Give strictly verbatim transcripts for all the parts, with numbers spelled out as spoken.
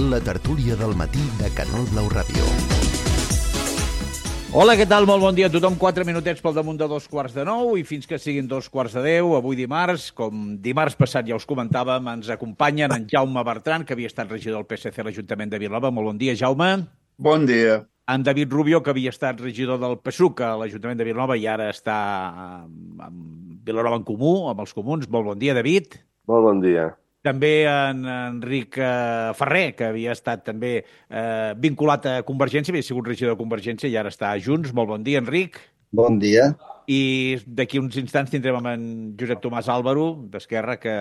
La tertúlia del matí de Canal Blau Ràdio. Hola, què tal? Molt bon dia a tothom. Quatre minutets pel damunt de dos quarts de nou i fins que siguin dos quarts de deu, avui dimarts, com dimarts passat ja us comentàvem, ens acompanyen en Jaume Bertran, que havia estat regidor del P S C a l'Ajuntament de Vilanova. Molt bon dia, Jaume. Bon dia. En David Rubio, que havia estat regidor del P S U C a l'Ajuntament de Vilanova i ara està amb Vilanova en Comú, amb els comuns. Molt bon dia, David. Molt bon dia. També en Enric eh, Ferrer, que havia estat també eh, vinculat a Convergència, havia sigut regidor de Convergència i ara està a Junts. Molt bon dia, Enric. Bon dia. I d'aquí uns instants tindrem amb en Josep Tomàs Álvaro, d'Esquerra, que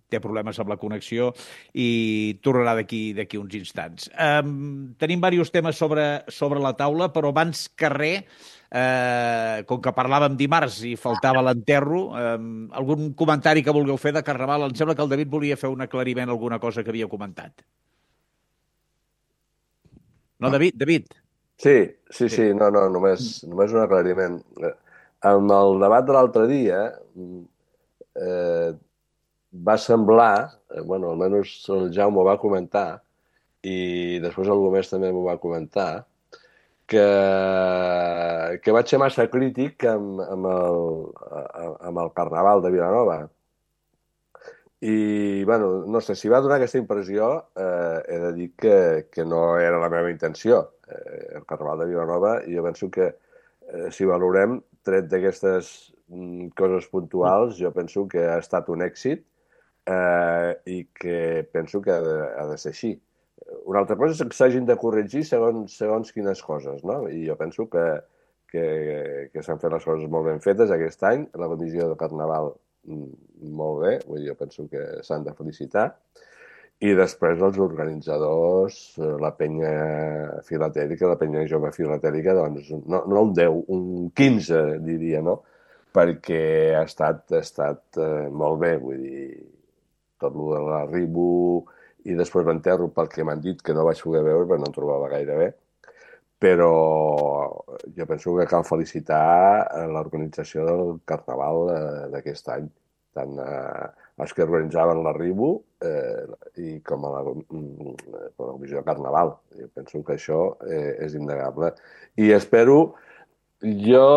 té problemes amb la connexió i tornarà d'aquí d'aquí uns instants. Um, tenim diversos temes sobre, sobre la taula, però abans que res, eh, com que parlàvem dimarts i faltava l'enterro, eh, algun comentari que vulgueu fer de Carnaval? Em sembla que el David volia fer un aclariment a alguna cosa que havia comentat. No, David? David? Sí, sí, sí, no, no, només, només un aclariment. En el debat de l'altre dia eh, va semblar, eh, bueno, almenys el Jaume ho va comentar, i després algú més també m'ho va comentar, que, que vaig ser massa crític amb, amb, el, amb el Carnaval de Vilanova. I, bueno, no sé, si va donar aquesta impressió, eh, he de dir que, que no era la meva intenció. Eh, el Carnaval de Vilanova, i jo penso que eh, si valorem, tret d'aquestes mm, coses puntuals, jo penso que ha estat un èxit eh, i que penso que ha de, ha de ser així. Una altra cosa és que s'hagin de corregir segons, segons quines coses, no? I jo penso que, que, que s'han fet les coses molt ben fetes aquest any. La comissió de Carnaval molt bé, vull dir, jo penso que s'han de felicitar. I després els organitzadors, la penya filatèlica, la penya jove filatèlica, doncs no, no un deu, un quinze, diria, no? Perquè ha estat, ha estat eh, molt bé, vull dir, tot el de l'arribo i després l'enterro, pel que m'han dit, que no vaig poder veure perquè no em trobava gaire bé. Però jo penso que cal felicitar l'organització del Carnaval d'aquest any, tant eh, els que organitzaven l'arribo eh, i com a la, la comissió de Carnaval. Jo penso que això eh, és innegable. I espero, jo,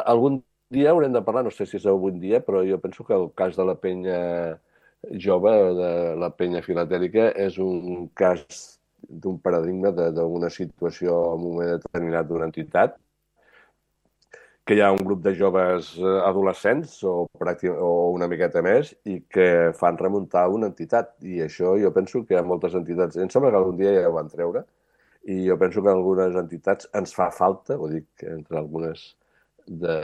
algun dia haurem de parlar, no sé si és algun dia, però jo penso que el cas de la penya jove, de la penya filatèlica, és un cas d'un paradigma d'una situació en un moment determinat d'una entitat, que hi ha un grup de joves adolescents o, o una miqueta més i que fan remuntar una entitat. I això jo penso que hi ha moltes entitats, em sembla que algun dia ja ho van treure, i jo penso que algunes entitats ens fa falta, ho dic entre algunes, de,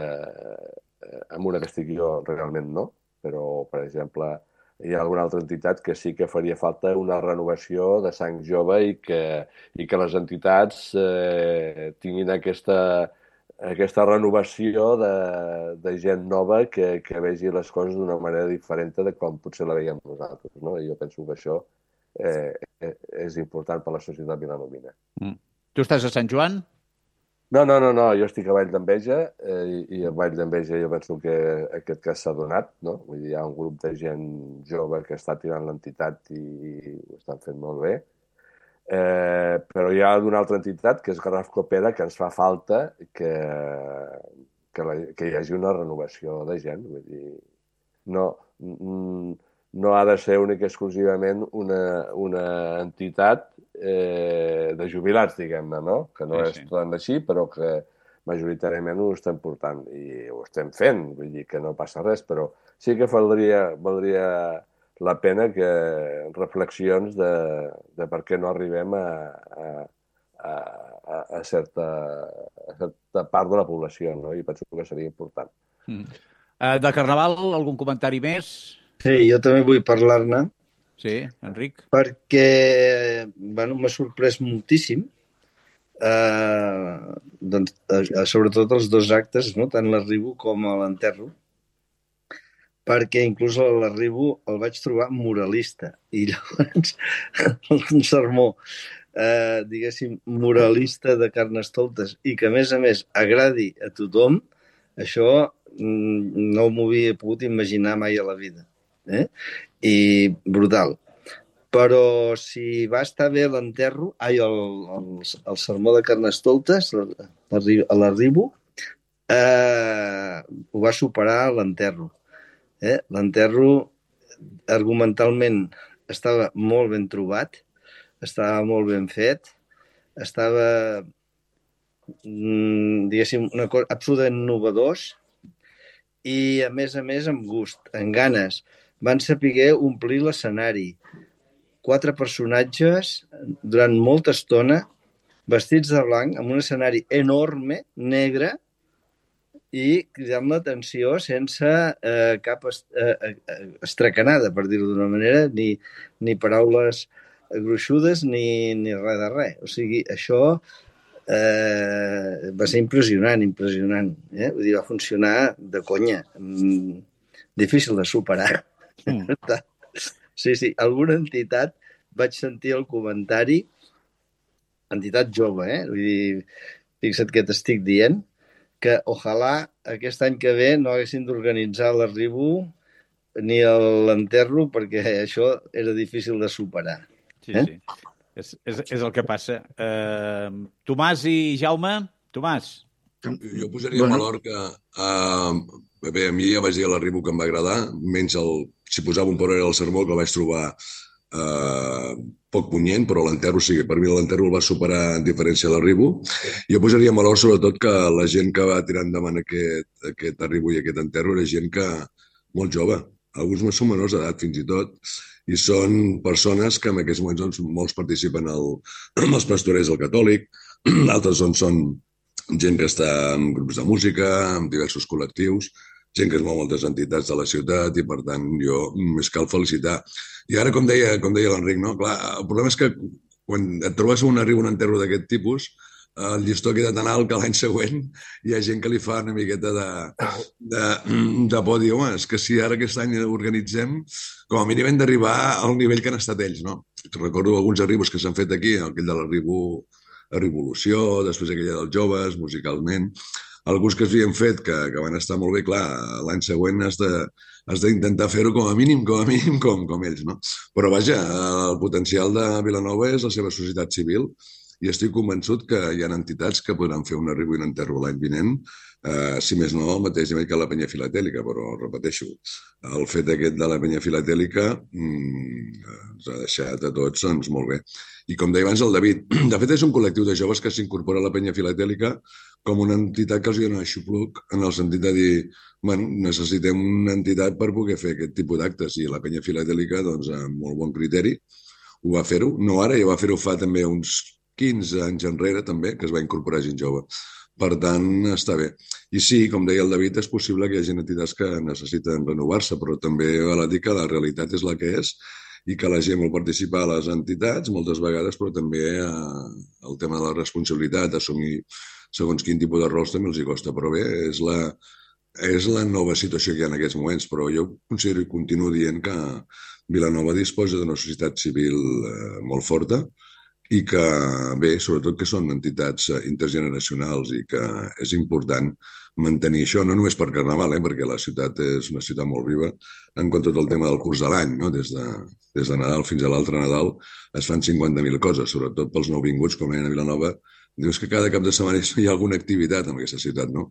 amb una que estic jo realment no, però per exemple hi ha alguna altra entitat que sí que faria falta una renovació de sang jove i que, i que les entitats eh, tinguin aquesta, aquesta renovació de, de gent nova que, que vegi les coses d'una manera diferent de com potser la veiem nosaltres, no? I jo penso que això eh, és important per la societat vilanovina. Mm. Tu estàs a Sant Joan? No, no, no, no, jo estic a Vall d'Enveja eh, i a Vall d'Enveja jo penso que aquest cas s'ha donat, no? Vull dir, hi ha un grup de gent jove que està tirant l'entitat i ho estan fent molt bé. Eh, però hi ha una altra entitat, que és Garraf Copera, que ens fa falta que, que, la, que hi hagi una renovació de gent. Vull dir, no, no ha de ser única i exclusivament una, una entitat eh, de jubilats, diguem-ne, no? Que no sí, és sí. Tant així, però que majoritàriament ho estem portant i ho estem fent, vull dir que no passa res, però sí que valdria, valdria la pena que reflexions de, de per què no arribem a, a, a, a, certa, a certa part de la població, no? I penso que seria important. Mm. Uh, de Carnaval, algun comentari més? Sí, jo també vull parlar-ne. Sí, Enric? Perquè, bueno, m'ha sorprès moltíssim, eh, doncs, eh, sobretot els dos actes, no? Tant l'arribo com l'enterro, perquè inclús a l'arribo el vaig trobar moralista. I llavors, un sermó, eh, diguéssim, moralista de Carnestoltes, i que, a més a més, agradi a tothom, això no m'ho havia pogut imaginar mai a la vida. Eh? I brutal. però si va estar bé l'enterro, ai, el, el, el sermó de Carnestoltes, a l'arribo, eh, ho va superar l'enterro. Eh? L'enterro argumentalment estava molt ben trobat, estava molt ben fet, estava, diguéssim, una cosa absolutament innovadors i, a més a més, amb gust, amb ganes. Van saber omplir l'escenari. Quatre personatges durant molta estona, vestits de blanc, amb un escenari enorme, negre, i cridant l'atenció sense eh, cap est eh, estracanada, per dir-ho d'una manera, ni, ni paraules gruixudes ni, ni res de res. O sigui, això eh, va ser impressionant, impressionant. Eh? Vull dir, va funcionar de conya. Mm, difícil de superar. Mm. Sí, sí. Alguna entitat vaig sentir el comentari, entitat jove, eh? Vull dir, fixa't què t'estic dient, que ojalà aquest any que ve no haguessin d'organitzar l'arribo ni l'enterro, perquè això era difícil de superar. Sí, eh? sí. És, és, és el que passa. Uh, Tomàs i Jaume? Tomàs. Jo posaria en valor que... Uh, bé, a mi ja vaig dir a l'arribo que em va agradar, menys el, si posava un por era el sermó, que el vaig trobar Uh, poc punyent, però l'enterro sí, per mi l'enterro el va superar en diferència de l'arribo. Jo posaria en valor sobretot que la gent que va tirar endavant aquest, aquest arribo i aquest enterro era gent que molt jove, alguns són menors d'edat fins i tot, i són persones que en aquests moments doncs, molts participen al, als pastorers del catòlic, altres doncs, són gent que està en grups de música, en diversos col·lectius, gent que es mou moltes entitats de la ciutat i, per tant, jo més cal felicitar. I ara, com deia, com deia l'Enric, no? Clar, el problema és que quan et trobes un arribo, un enterro d'aquest tipus, el llistó queda tan alt que l'any següent hi ha gent que li fa una miqueta de, de, de por, dir, home, és que si ara aquest any organitzem, com a mínim hem d'arribar al nivell que han estat ells, no? Recordo alguns arribos que s'han fet aquí, aquell de l'arribo a Revolució, després aquella dels joves, musicalment, alguns que s'havien fet que, que van estar molt bé, clar, l'any següent has de, has d'intentar fer-ho com a mínim, com a mínim, com, com ells, no? Però vaja, el potencial de Vilanova és la seva societat civil i estic convençut que hi ha entitats que podran fer un arribo i un enterro l'any vinent, eh, si més no, al mateix nivell que la penya filatèlica, però repeteixo, el fet aquest de la penya filatèlica mmm, ens ha deixat a tots doncs, molt bé. I com deia abans el David, de fet és un col·lectiu de joves que s'incorpora a la penya filatèlica com una entitat que els dona aixopluc en el sentit de dir, bueno, necessitem una entitat per poder fer aquest tipus d'actes i la penya filatèlica, doncs, amb molt bon criteri, ho va fer-ho. No ara, ja va fer-ho fa també uns quinze anys enrere, també, que es va incorporar gent jove. Per tant, està bé. I sí, com deia el David, és possible que hi hagi entitats que necessiten renovar-se, però també val a dir que la realitat és la que és i que la gent vol participar a les entitats moltes vegades, però també eh, el tema de la responsabilitat, assumir segons quin tipus de rols també els hi costa, però bé, és la, és la nova situació que hi ha en aquests moments, però jo considero i continuo dient que Vilanova disposa d'una societat civil eh, molt forta i que, bé, sobretot que són entitats intergeneracionals i que és important mantenir això, no només per Carnaval, eh, perquè la ciutat és una ciutat molt viva, en quant a tot el tema del curs de l'any, no? Des de, des de Nadal fins a l'altre Nadal es fan cinquanta mil coses, sobretot pels nouvinguts, com deien a Vilanova. Dius que cada cap de setmana hi ha alguna activitat en aquesta ciutat, no?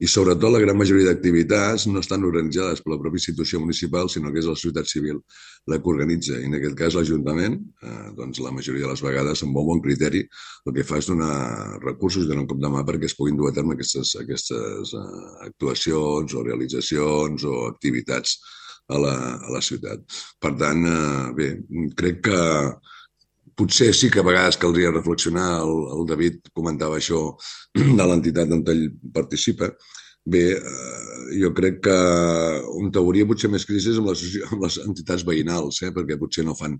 I sobretot la gran majoria d'activitats no estan organitzades per la pròpia institució municipal, sinó que és la societat civil la que organitza. I en aquest cas l'Ajuntament, eh, doncs la majoria de les vegades, amb molt bon criteri, el que fa és donar recursos i donar un cop de mà perquè es puguin dur a terme aquestes, aquestes eh, actuacions o realitzacions o activitats a la, a la ciutat. Per tant, eh, bé, crec que potser sí que a vegades caldria reflexionar, el, el David comentava això de l'entitat on ell participa. Bé, eh, jo crec que on hauria potser més crisi és amb les, amb les entitats veïnals, eh, perquè potser no fan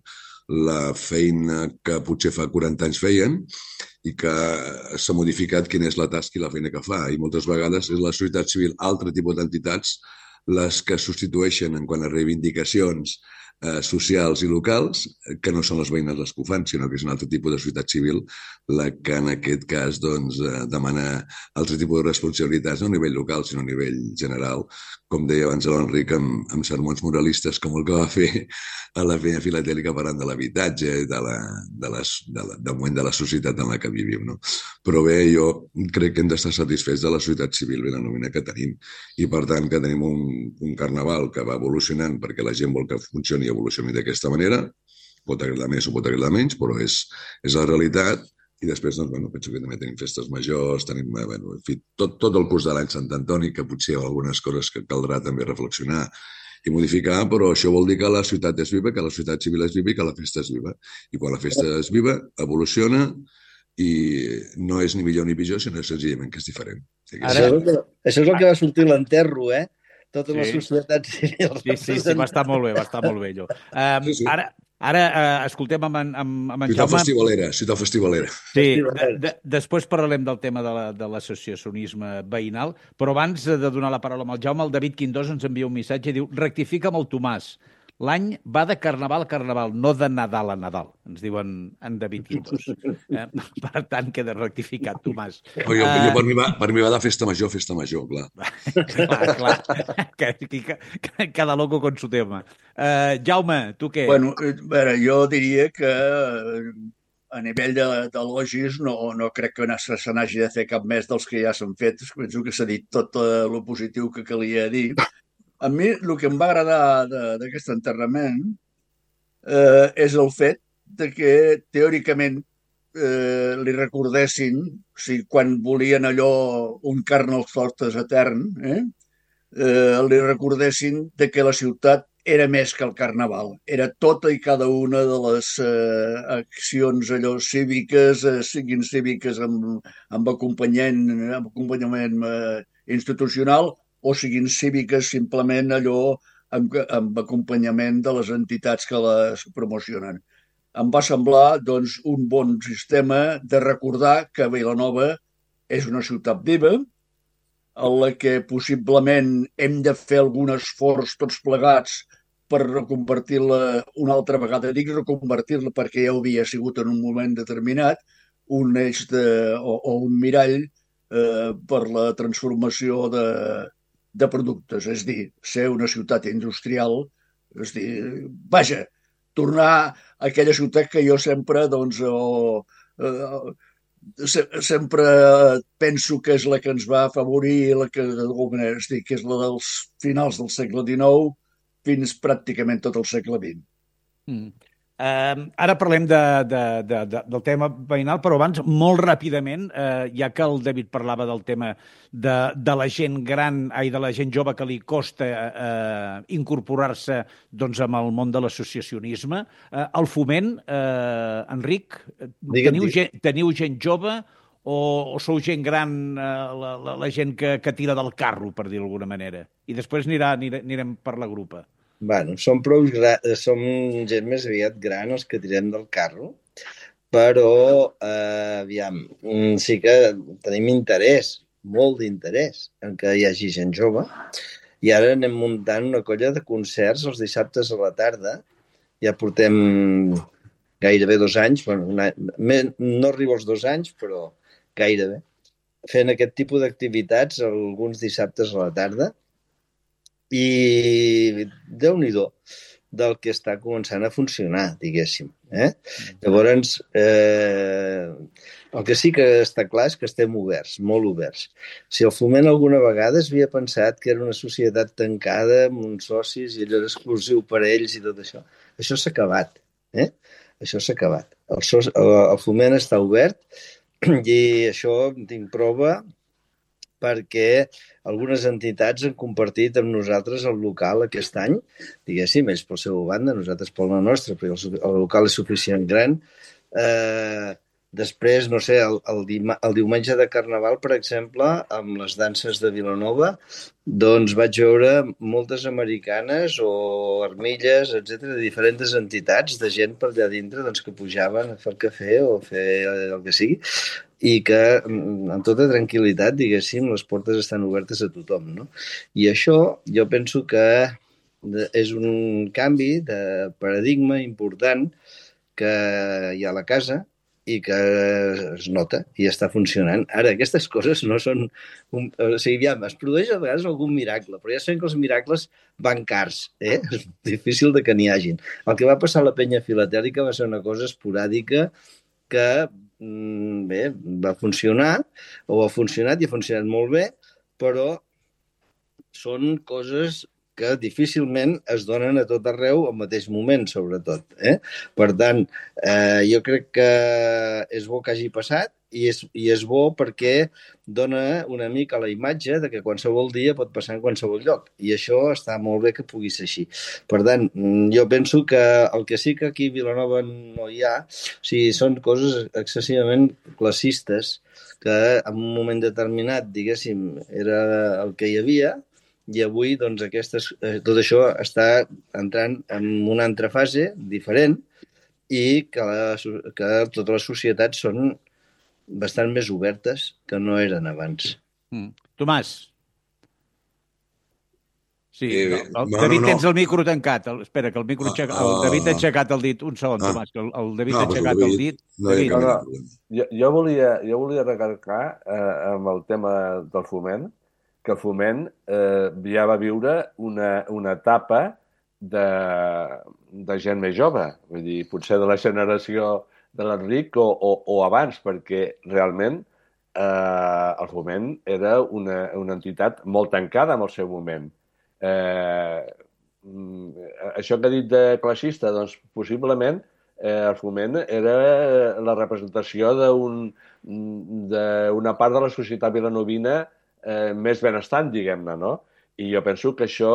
la feina que potser fa quaranta anys feien i que s'ha modificat quina és la tasca i la feina que fa. I moltes vegades és la societat civil, altre tipus d'entitats, les que substitueixen en quant a reivindicacions Eh, socials i locals, que no són les veïnes les que ho fan, sinó que és un altre tipus de societat civil la que en aquest cas doncs, eh, demana altre tipus de responsabilitats, no a nivell local, sinó a nivell general, com deia abans l'Enric, amb, amb sermons moralistes com el que va fer a la feina filatèlica parlant de l'habitatge, de la, de les, de la, del moment de la societat en la que vivim, no? Però bé, jo crec que hem d'estar satisfets de la societat civil vilanovina que tenim i, per tant, que tenim un, un carnaval que va evolucionant perquè la gent vol que funcioni i evolucioni d'aquesta manera. Pot agradar més o pot agradar menys, però és, és la realitat. I després, doncs, bueno, penso que també tenim festes majors, tenim, bueno, en fi, tot, tot el curs de l'any Sant Antoni, que potser hi ha algunes coses que caldrà també reflexionar i modificar, però això vol dir que la ciutat és viva, que la ciutat civil és viva i que la festa és viva. I quan la festa és viva, evoluciona i no és ni millor ni pitjor, sinó senzillament que és diferent. O sigui, Ara... Això, és el, això és el que va sortir a l'enterro, eh? Totes sí. les societats civils. Sí, sí, sí, va estar molt bé, va estar molt bé, allò. Um, sí, sí. Ara, ara uh, escoltem amb, en, amb, amb en ciutat Jaume... Festivalera, ciutat festivalera. Sí, de, de, després parlarem del tema de l'associacionisme la, de veïnal, però abans de donar la paraula amb el Jaume, el David Quindós ens envia un missatge i diu: rectifica amb el Tomàs. L'any va de carnaval a carnaval, no de Nadal a Nadal, ens diuen en David Quindós. Eh? Per tant, queda rectificat, Tomàs. Oh, jo, uh... jo per, mi va, per mi va de festa major, festa major, clar. clar, clar. Que, que, que, cada loco con su tema. Uh, Jaume, tu què? Bueno, a veure, jo diria que a nivell d'elogis no, no crec que se n'hagi de fer cap més dels que ja s'han fet. Penso que s'ha dit tot el positiu que calia dir. A mi el que em va agradar d'aquest enterrament eh, és el fet de que teòricament eh, li recordessin, o sigui, quan volien allò un Carnestoltes etern, eh, eh, li recordessin de que la ciutat era més que el carnaval. Era tota i cada una de les eh, accions allò cíviques, eh, siguin cíviques amb, amb acompanyament, amb acompanyament eh, institucional, o siguin cíviques simplement allò amb, amb acompanyament de les entitats que les promocionen. Em va semblar doncs, un bon sistema de recordar que Vilanova és una ciutat viva, en la que possiblement hem de fer algun esforç tots plegats per reconvertir-la una altra vegada. Dic reconvertir-la perquè ja havia sigut en un moment determinat un eix de, o, o un mirall eh, per la transformació de, de productes, és dir, ser una ciutat industrial, és dir, vaja, tornar a aquella ciutat que jo sempre, doncs, o, eh, se, sempre penso que és la que ens va afavorir, la que, d'alguna manera, és dir, que és la dels finals del segle dinou fins pràcticament tot el segle vint. Mm. Uh, ara parlem de, de, de, de, del tema veïnal, però abans, molt ràpidament, uh, ja que el David parlava del tema de, de la gent gran, ai, de la gent jove que li costa uh, incorporar-se doncs, amb el món de l'associacionisme, uh, el foment, uh, Enric, teniu gent, teniu gent jove o, o sou gent gran, uh, la, la, la gent que, que tira del carro, per dir d'alguna manera? I després anirà, anirem, anirem per la grupa. Bueno, som, prou som gent més aviat gran els que tirem del carro, però, eh, aviam, sí que tenim interès, molt d'interès en que hi hagi gent jove, i ara anem muntant una colla de concerts els dissabtes a la tarda. Ja portem gairebé dos anys, bueno, una, no arribo als dos anys, però gairebé, fent aquest tipus d'activitats alguns dissabtes a la tarda. I Déu-n'hi-do del que està començant a funcionar, diguéssim. Eh? Llavors, eh, el que sí que està clar és que estem oberts, molt oberts. Si el Foment alguna vegada es havia pensat que era una societat tancada amb uns socis i allò era exclusiu per a ells i tot això, això s'ha acabat. Eh? Això s'ha acabat. El, so el, el Foment està obert i això en tinc prova perquè algunes entitats han compartit amb nosaltres el local aquest any, diguéssim, ells pel seu banda, nosaltres per la nostra, perquè el, el local és suficient gran. Eh, després, no sé, el, el, el diumenge de Carnaval, per exemple, amb les danses de Vilanova, doncs vaig veure moltes americanes o armilles, etcètera, de diferents entitats, de gent per allà dintre doncs, que pujaven a fer el cafè o fer el que sigui, i que amb tota tranquil·litat, diguéssim, les portes estan obertes a tothom, no? I això jo penso que és un canvi de paradigma important que hi ha a la casa i que es nota i està funcionant. Ara, aquestes coses no són... Un, o sigui, ja, es produeix a vegades algun miracle, però ja sabem que els miracles van cars, eh? És difícil de que n'hi hagin. El que va passar a la penya filatèlica va ser una cosa esporàdica que, bé, va funcionar, o ha funcionat i ha funcionat molt bé, però són coses que difícilment es donen a tot arreu al mateix moment, sobretot. Eh? Per tant, eh, jo crec que és bo que hagi passat i és, i és bo perquè dona una mica la imatge de que qualsevol dia pot passar en qualsevol lloc. I això està molt bé que pugui ser així. Per tant, jo penso que el que sí que aquí a Vilanova no hi ha, o sigui, són coses excessivament classistes que en un moment determinat, diguéssim, era el que hi havia, i avui doncs, aquestes, eh, tot això està entrant en una altra fase diferent i que, la, que totes les societats són bastant més obertes que no eren abans. Mm. Tomàs? Sí, Eh, el, el, no, David, no, no. tens el micro tancat. El, espera, que el micro... Ah, el David ha ah. aixecat el dit. Un segon, Ah. Tomàs, que el, el David No, ha doncs el aixecat el David dit. no hi ha David, cap No, mena no. de problema. Jo, jo, volia, jo volia recalcar eh, amb el tema del foment que el foment eh, ja va viure una, una etapa de, de gent més jove, vull dir, potser de la generació de l'Enric o, o, o abans, perquè realment eh, el foment era una, una entitat molt tancada en el seu moment. Eh, això que ha dit de classista, doncs possiblement eh, el foment era la representació d'un d'una part de la societat vilanovina eh, més benestant, diguem-ne, no? I jo penso que això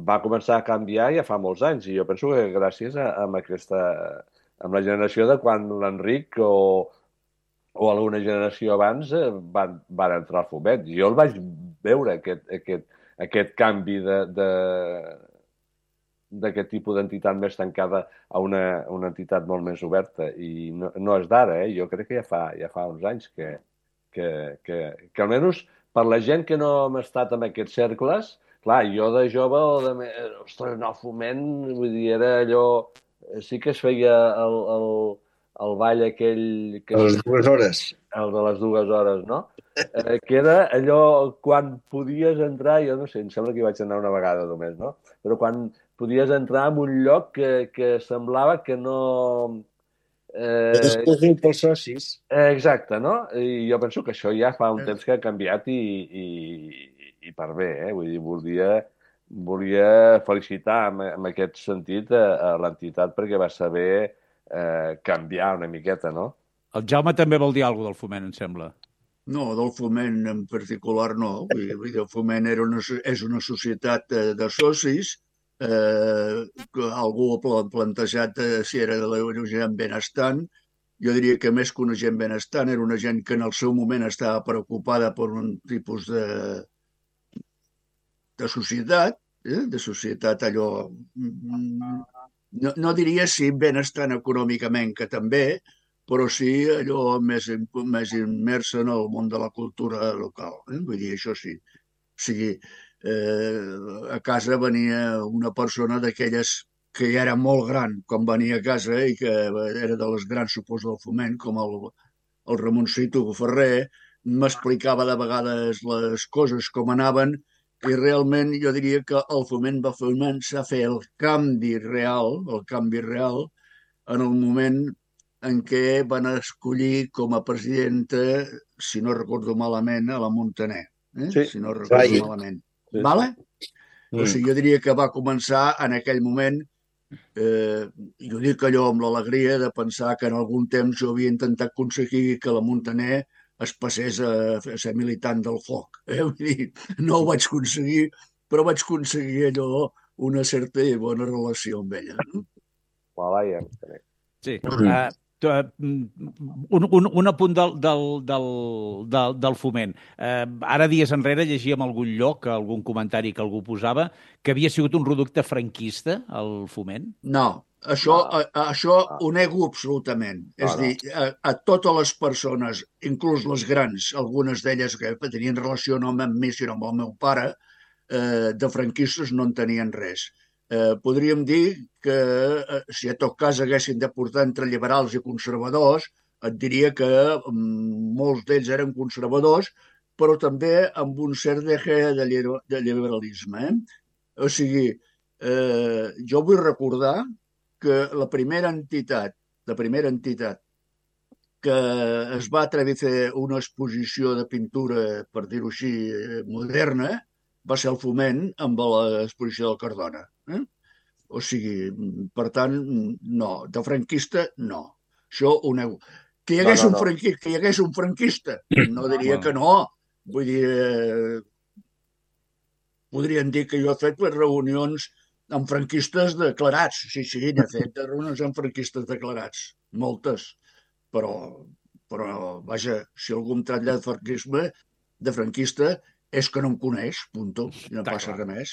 va començar a canviar ja fa molts anys, i jo penso que gràcies a, a aquesta, amb la generació de quan l'Enric o, o alguna generació abans eh, van, van entrar al foment. Jo el vaig veure, aquest, aquest, aquest canvi de, de, d'aquest tipus d'entitat més tancada a una, una entitat molt més oberta. I no, no és d'ara, eh? Jo crec que ja fa, ja fa uns anys que, que, que, que almenys per la gent que no hem estat en aquests cercles, clar, jo de jove o de... Ostres, no, foment, vull dir, era allò... Sí que es feia el, el, el ball aquell... Que... A les dues hores. El de les dues hores, no? Eh, que era allò quan podies entrar, jo no sé, em sembla que hi vaig anar una vegada només, no? Però quan podies entrar en un lloc que, que semblava que no... Eh... Exclusiu pels socis. Eh, exacte, no? I jo penso que això ja fa un temps que ha canviat i, i, i per bé, eh? Vull dir, volia, volia felicitar en, en aquest sentit a, a l'entitat perquè va saber eh, canviar una miqueta, no? El Jaume també vol dir alguna cosa del foment, em sembla. No, del foment en particular no. Vull dir, el foment era una, és una societat de, de socis. Eh, algú ha plantejat eh, si era de la gent benestant. Jo diria que més que una gent benestant era una gent que en el seu moment estava preocupada per un tipus de, de societat, eh? de societat allò... No, no diria si benestant econòmicament, que també, però sí allò més, més immersa en el món de la cultura local. Eh? Vull dir, això sí. O sigui, eh, a casa venia una persona d'aquelles que ja era molt gran quan venia a casa i que era de les grans suposo del foment, com el, el Ramoncito Ferrer, m'explicava de vegades les coses com anaven i realment jo diria que el foment va començar a fer el canvi real, el canvi real, en el moment en què van escollir com a presidenta, si no recordo malament, a la Montaner. Eh? Sí. Si no recordo Sí. malament. Sí. Vale? Mm. O sigui, jo diria que va començar en aquell moment, eh, jo dic allò amb l'alegria de pensar que en algun temps jo havia intentat aconseguir que la Montaner es passés a, a ser militant del foc. Eh? Vull dir, no ho vaig aconseguir, però vaig aconseguir allò, una certa i bona relació amb ella. No? Voilà, ja estaré. Sí. Uh, un, un, un apunt del, del, del, del, del foment. Uh, ara, dies enrere, llegíem algun lloc, algun comentari que algú posava, que havia sigut un reducte franquista, el foment? No, això, No. a, a, això No. ho nego absolutament. No, És no. dir, a, a totes les persones, inclús les grans, algunes d'elles que tenien relació no amb mi, sinó amb el meu pare, eh, de franquistes no en tenien res. Eh, podríem dir que eh, si a tot cas haguessin de portar entre liberals i conservadors, et diria que molts d'ells eren conservadors, però també amb un cert deje de liberalisme. Eh? O sigui, eh, jo vull recordar que la primera entitat, la primera entitat que es va atrevir a fer una exposició de pintura, per dir-ho així, moderna, va ser el Foment amb l'exposició del Cardona. Eh? O sigui, per tant, no. De franquista, no. Això ho nego. Que hi hagués, no, no, no. Un, franquista, que hi hagués un franquista, no diria que no. Vull dir, eh, podrien dir que jo he fet les reunions amb franquistes declarats. Sí, sí, n'he fet de reunions amb franquistes declarats. Moltes. Però, però, vaja, si algú em tracta de franquisme, de franquista, és que no em coneix, punto. I no passa res més.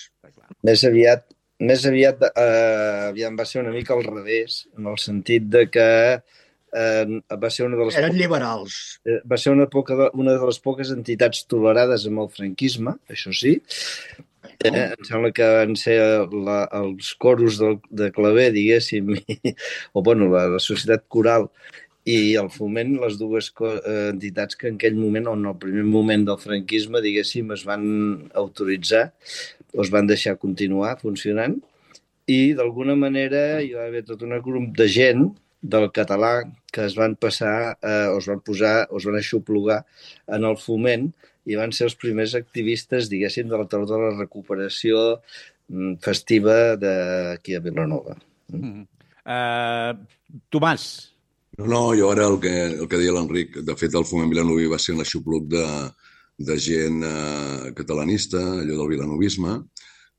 Més aviat, més aviat eh, aviam, va ser una mica al revés, en el sentit de que eh, va ser una de les... Eren liberals. Eh, va ser una, poca, una de les poques entitats tolerades amb el franquisme, això sí. Eh, em sembla que van ser la, els coros de, de claver, diguéssim, i, o bueno, la, la societat coral i el Foment, les dues entitats que en aquell moment, o en el primer moment del franquisme, diguéssim, es van autoritzar o es van deixar continuar funcionant, i d'alguna manera hi va haver tot un grup de gent del català que es van passar, eh, o es van posar, o es van aixoplugar en el Foment, i van ser els primers activistes, diguéssim, de la tardor de la recuperació festiva d'aquí a Vilanova. Mm. Uh, Tomàs. No, no, jo ara el que, el que deia l'Enric, de fet el Foment Vilanoví va ser un aixopluc de, de gent eh, catalanista, allò del vilanovisme,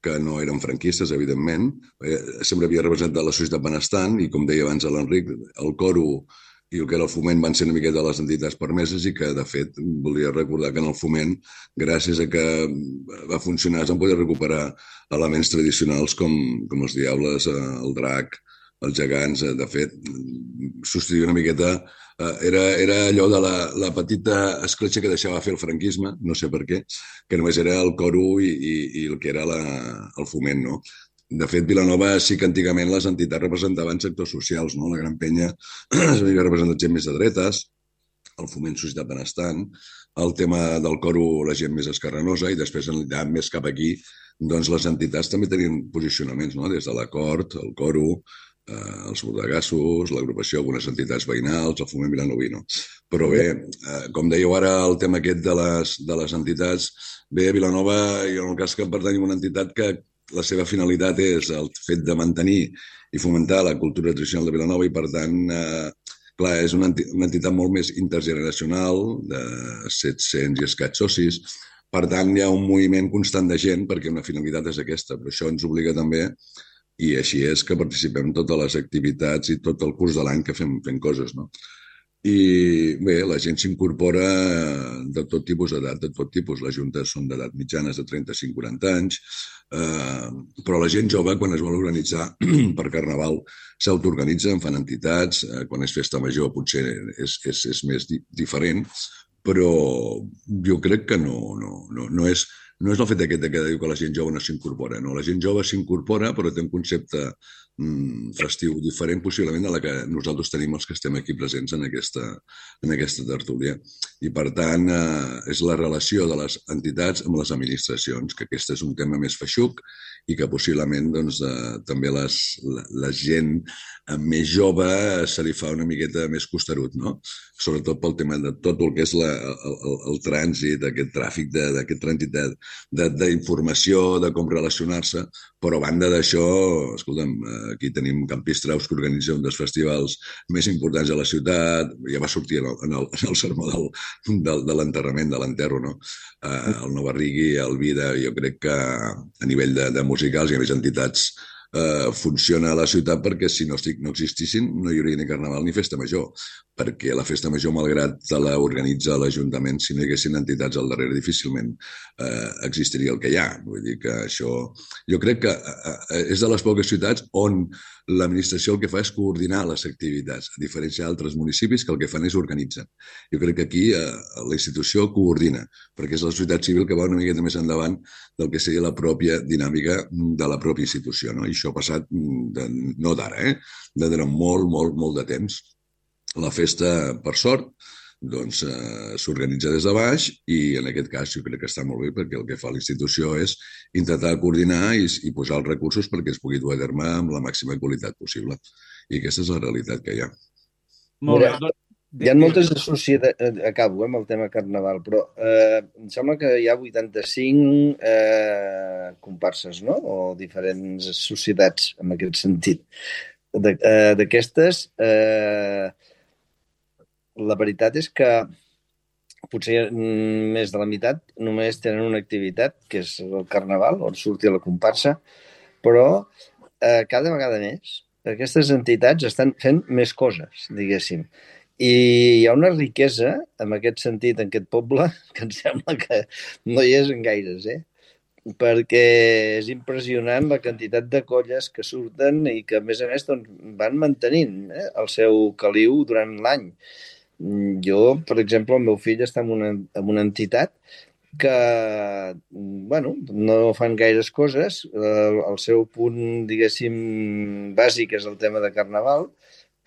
que no eren franquistes, evidentment. Eh, sempre havia representat la societat benestant i, com deia abans l'Enric, el coro i el que era el Foment van ser una miqueta les entitats permeses i que, de fet, volia recordar que en el Foment, gràcies a que va funcionar, es van poder recuperar elements tradicionals com, com els diables, el drac, els gegants. De fet, substituir una miqueta, era, era allò de la, la petita escletxa que deixava fer el franquisme, no sé per què, que només era el coro i, i, i el que era la, el Foment, no? De fet, Vilanova sí que antigament les entitats representaven sectors socials, no? La Gran Penya havia representat gent més de dretes, el Foment Societat Benestant, el tema del coro la gent més escarrenosa, i després, més cap aquí, doncs les entitats també tenien posicionaments, no? Des de l'acord, el coro, eh, els bordegassos, l'agrupació, algunes entitats veïnals, el Foment Vilanoví, no? Però bé, eh, com dèieu ara, el tema aquest de les, de les entitats, bé, a Vilanova, i en el cas que pertany a una entitat que la seva finalitat és el fet de mantenir i fomentar la cultura tradicional de Vilanova i, per tant, eh, clar, és una entitat molt més intergeneracional, de set-cents i escaig socis. Per tant, hi ha un moviment constant de gent perquè una finalitat és aquesta, però això ens obliga també, i així és que participem en totes les activitats i tot el curs de l'any que fem, fem coses, no? I bé, la gent s'incorpora de tot tipus d'edat, de tot tipus. Les juntes són d'edat mitjanes de trenta-cinc a quaranta anys, eh, però la gent jove, quan es vol organitzar per Carnaval, s'autoorganitzen, fan entitats, eh, quan és festa major potser és, és, és més di diferent, però jo crec que no, no, no, no és... No és el fet aquest que diu que la gent jove no s'incorpora, no. La gent jove s'incorpora, però té un concepte mm, festiu diferent, possiblement, a la que nosaltres tenim els que estem aquí presents en aquesta, en aquesta tertúlia. I, per tant, eh, és la relació de les entitats amb les administracions, que aquest és un tema més feixuc i que possiblement doncs, eh, també les, la, la gent més jove se li fa una miqueta més costerut, no? Sobretot pel tema de tot el que és la, el, el, el trànsit, aquest tràfic d'aquest trànsit d'informació, de, de com relacionar-se, però a banda d'això, escolta'm, aquí tenim Campistraus, que organitza un dels festivals més importants de la ciutat, ja va sortir en el, en el, en el sermó del, del, de l'enterrament, de l'enterro, no? Uh, el Novarrigui, el Vida, jo crec que a nivell de, de musicals i a més entitats Uh, funciona a la ciutat, perquè si no, estic, no existissin no hi hauria ni Carnaval ni Festa Major, perquè la Festa Major, malgrat l'organitza l'Ajuntament, si no hi haguessin entitats al darrere difícilment uh, existiria el que hi ha. Vull dir que això... Jo crec que uh, és de les poques ciutats on l'administració el que fa és coordinar les activitats, a diferència d'altres municipis que el que fan és organitzar. Jo crec que aquí uh, la institució coordina, perquè és la societat civil que va una miqueta més endavant del que seria la pròpia dinàmica de la pròpia institució, no? I això ha passat de, no d'ara, eh? de durant molt, molt, molt de temps. La festa, per sort, doncs eh, s'organitza des de baix i en aquest cas jo crec que està molt bé perquè el que fa la institució és intentar coordinar i, i posar els recursos perquè es pugui dur a terme amb la màxima qualitat possible. I aquesta és la realitat que hi ha. Molt Mira, bé. Doncs, hi ha moltes societats, acabo eh, amb el tema carnaval, però eh, em sembla que hi ha vuitanta-cinc eh, comparses, no? O diferents societats en aquest sentit. De- eh, D'aquestes, eh, la veritat és que potser mm, més de la meitat només tenen una activitat, que és el carnaval, on surti la comparsa, però eh, cada vegada més aquestes entitats estan fent més coses, diguéssim. I hi ha una riquesa, en aquest sentit, en aquest poble, que em sembla que no hi és en gaires, eh? Perquè és impressionant la quantitat de colles que surten i que, a més a més, doncs, van mantenint eh, el seu caliu durant l'any. Jo, per exemple, el meu fill està en una, en una entitat que, bueno, no fan gaires coses. El, el seu punt, diguéssim, bàsic és el tema de carnaval,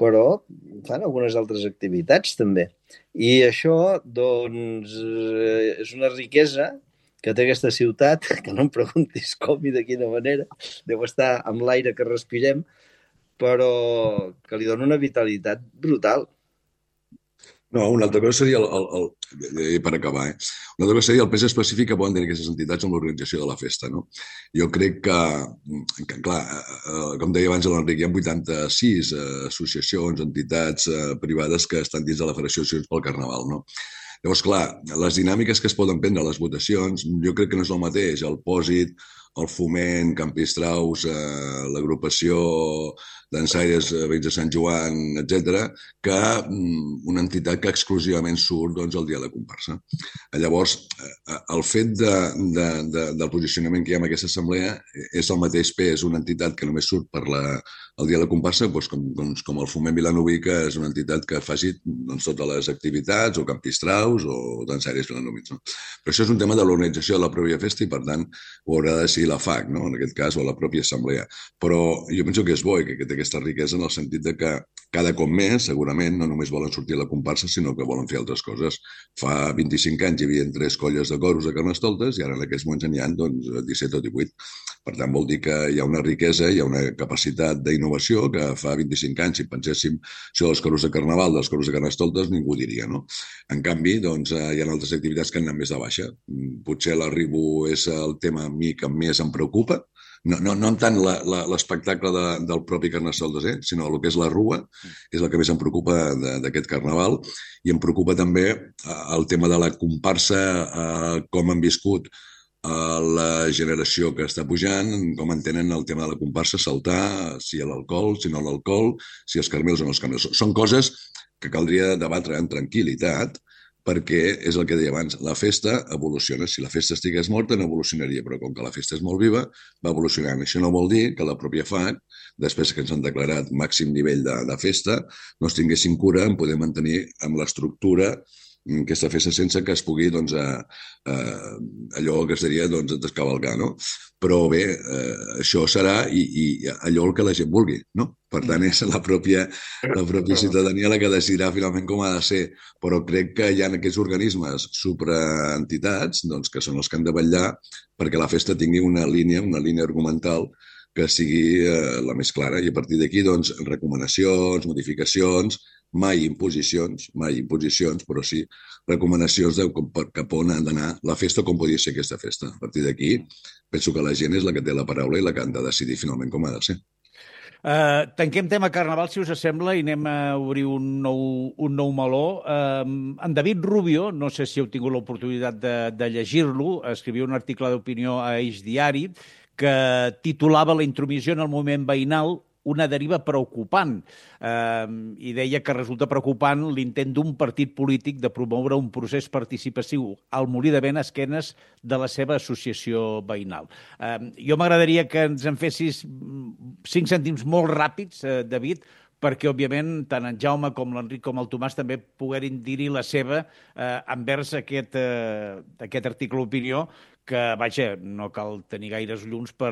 però fan algunes altres activitats també. I això, doncs, eh, és una riquesa que té aquesta ciutat, que no em preguntis com i de quina manera, deu estar amb l'aire que respirem, però que li dona una vitalitat brutal. No, una altra cosa seria, el, el, el, per acabar, eh? una altra cosa seria el pes específic que poden tenir aquestes entitats en l'organització de la festa. No? Jo crec que, que clar, eh, com deia abans l'Enric, hi ha vuitanta-sis eh, associacions, entitats eh, privades que estan dins de la Federació d'Associacions pel Carnaval. No? Llavors, clar, les dinàmiques que es poden prendre a les votacions, jo crec que no és el mateix. El pòsit, el foment, Campistraus, eh, l'agrupació dansaires veïns de Sant Joan, etcètera, que mm, una entitat que exclusivament surt doncs, el dia de la comparsa. Llavors, eh, el fet de, de, de, del posicionament que hi ha en aquesta assemblea és el mateix pes una entitat que només surt per la, el dia de la comparsa, doncs, com, doncs, com el Foment Vilanoví, que és una entitat que faci doncs, totes les activitats, o Campistraus, o dansaires vilanovins. No? Però això és un tema de l'organització de la pròpia festa i, per tant, ho haurà de decidir la F A C, no? En aquest cas, o la pròpia assemblea. Però jo penso que és bo i que, que té aquesta riquesa en el sentit de que cada cop més, segurament, no només volen sortir a la comparsa, sinó que volen fer altres coses. Fa vint-i-cinc anys hi havia tres colles de coros de Carnestoltes i ara en aquests moments n'hi ha doncs, disset o divuit. Per tant, vol dir que hi ha una riquesa, hi ha una capacitat d'innovació que fa vint-i-cinc anys, si penséssim això dels coros de Carnaval, dels coros de Carnestoltes, ningú diria, no? En canvi, doncs, hi ha altres activitats que han anat més de baixa. Potser l'arribo és el tema a mi que més em preocupa, no, no, no tant l'espectacle de, del propi Carnestoltes, eh? Sinó el que és la rua, és el que més em preocupa d'aquest carnaval, i em preocupa també el tema de la comparsa, eh, com han viscut eh, la generació que està pujant, com entenen el tema de la comparsa, saltar, si hi ha l'alcohol, si no l'alcohol, si els carmels o no els carmels. Són coses que caldria debatre en tranquil·litat, perquè és el que deia abans, la festa evoluciona. Si la festa estigués morta no evolucionaria, però com que la festa és molt viva, va evolucionant. Això no vol dir que la pròpia F A C, després que ens han declarat màxim nivell de, de festa, no es tinguessin cura en poder mantenir amb l'estructura aquesta festa sense que es pugui, doncs, eh, eh, allò que es diria, doncs, descavalcar, no? Però bé, eh, això serà i, i allò el que la gent vulgui, no? Per tant, és la pròpia, la pròpia ciutadania la que decidirà finalment com ha de ser. Però crec que hi ha aquests organismes supraentitats, doncs, que són els que han de vetllar perquè la festa tingui una línia, una línia argumental que sigui eh, la més clara. I a partir d'aquí, doncs, recomanacions, modificacions, mai imposicions, mai imposicions, però sí recomanacions de cap on ha d'anar la festa, com podia ser aquesta festa. A partir d'aquí, penso que la gent és la que té la paraula i la que han de decidir finalment com ha de ser. Uh, tanquem tema Carnaval, si us sembla, i anem a obrir un nou, un nou meló. Uh, en David Rubio, no sé si heu tingut l'oportunitat de, de llegir-lo, escrivia un article d'opinió a Eix Diari que titulava La intromissió en el moviment veïnal, una deriva preocupant, eh, i deia que resulta preocupant l'intent d'un partit polític de promoure un procés participatiu al Molí de Vent a esquenes de la seva associació veïnal. Eh, jo m'agradaria que ens en fessis cinc cèntims molt ràpids, eh, David, perquè, òbviament, tant en Jaume com l'Enric com el Tomàs també poguerin dir-hi la seva eh, envers aquest, eh, aquest article d'opinió que, vaja, no cal tenir gaires llums per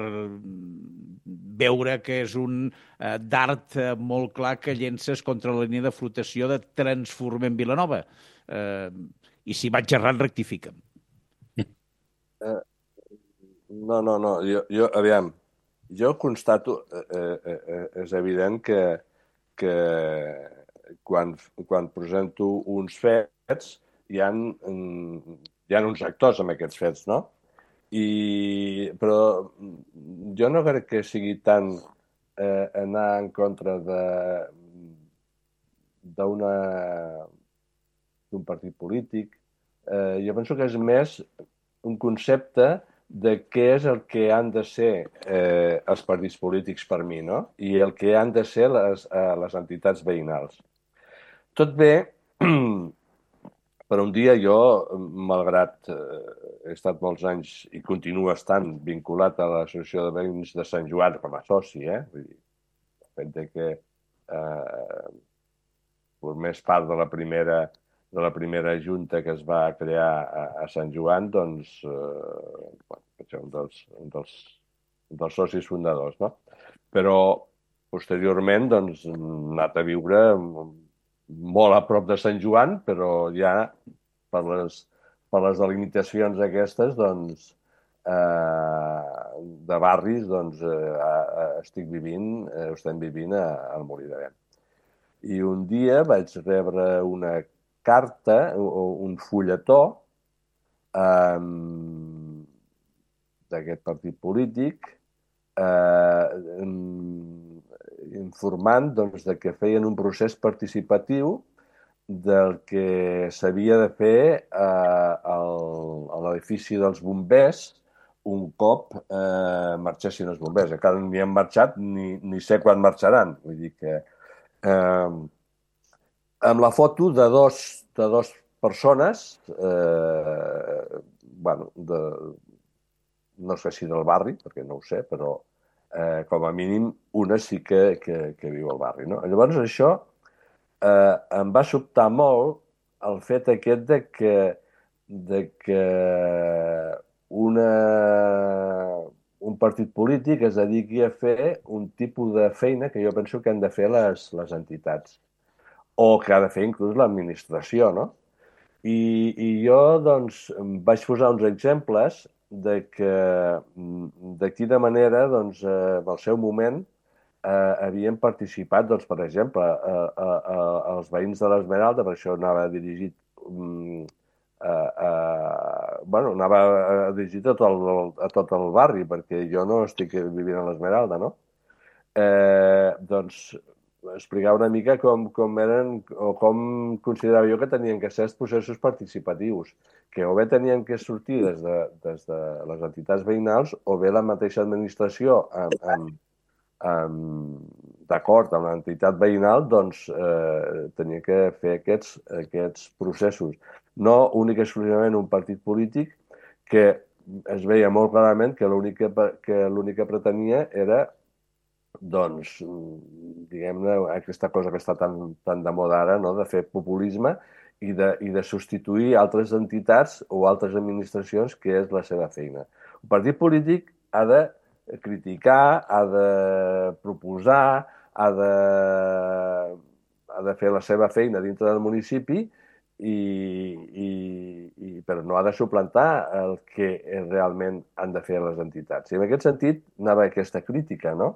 veure que és un eh, dart eh, molt clar que llences contra la línia de flotació de Transformem Vilanova. Eh, I si vaig errant, rectifica'm. Eh, no, no, no. Jo, jo, aviam, jo constato, eh, eh, eh, és evident que, que quan, quan presento uns fets hi ha, hi ha uns actors amb aquests fets, no? I, però jo no crec que sigui tant eh, anar en contra de d'una d'un partit polític. Eh, jo penso que és més un concepte de què és el que han de ser eh, els partits polítics per mi, no? I el que han de ser les, eh, les entitats veïnals. Tot bé, per un dia jo, malgrat eh, he estat molts anys i continuo estant vinculat a l'Associació de Veïns de Sant Joan com a soci, eh? Vull dir, el fet de que eh, formés part de la primera de la primera junta que es va crear a, a Sant Joan, doncs, eh, bueno, vaig ser un dels, un dels, un dels socis fundadors, no? Però, posteriorment, doncs, hem anat a viure molt a prop de Sant Joan, però ja per les, per les delimitacions aquestes, doncs, eh, de barris, doncs, eh, estic vivint, eh, estem vivint al Molí de Vent. I un dia vaig rebre una carta o un fulletó eh, d'aquest partit polític eh, informant doncs, de que feien un procés participatiu del que s'havia de fer eh, al, a l'edifici dels bombers un cop eh, marxessin els bombers. Encara ni han marxat ni, ni sé quan marxaran. Vull dir que eh, amb la foto de dos, de dos persones, eh, bueno, de, no sé si del barri, perquè no ho sé, però eh, com a mínim una sí que, que, que viu al barri. No? Llavors això eh, em va sobtar molt el fet aquest de que, de que una, un partit polític es dediqui a fer un tipus de feina que jo penso que han de fer les, les entitats o que ha de fer inclús l'administració, no? I, i jo, doncs, vaig posar uns exemples de que, de quina manera, doncs, eh, en el seu moment, eh, havien participat, doncs, per exemple, eh, eh, eh, els veïns de l'Esmeralda, per això anava dirigit, mm, eh, eh, bueno, anava dirigit a tot, el, a tot el barri, perquè jo no estic vivint a l'Esmeralda, no? Eh, doncs, explicar una mica com, com eren o com considerava jo que tenien que ser els processos participatius, que o bé tenien que sortir des de, des de les entitats veïnals o bé la mateixa administració amb, amb, amb, d'acord amb l'entitat veïnal, doncs eh, tenia que fer aquests, aquests processos. No únic i exclusivament un partit polític que es veia molt clarament que l'únic que, que l'únic que pretenia era doncs, diguem-ne, aquesta cosa que està tan, tan de moda ara, no? De fer populisme i de, i de substituir altres entitats o altres administracions, que és la seva feina. Un partit polític ha de criticar, ha de proposar, ha de, ha de fer la seva feina dintre del municipi, i, i, i, però no ha de suplantar el que realment han de fer les entitats. I en aquest sentit anava aquesta crítica, no?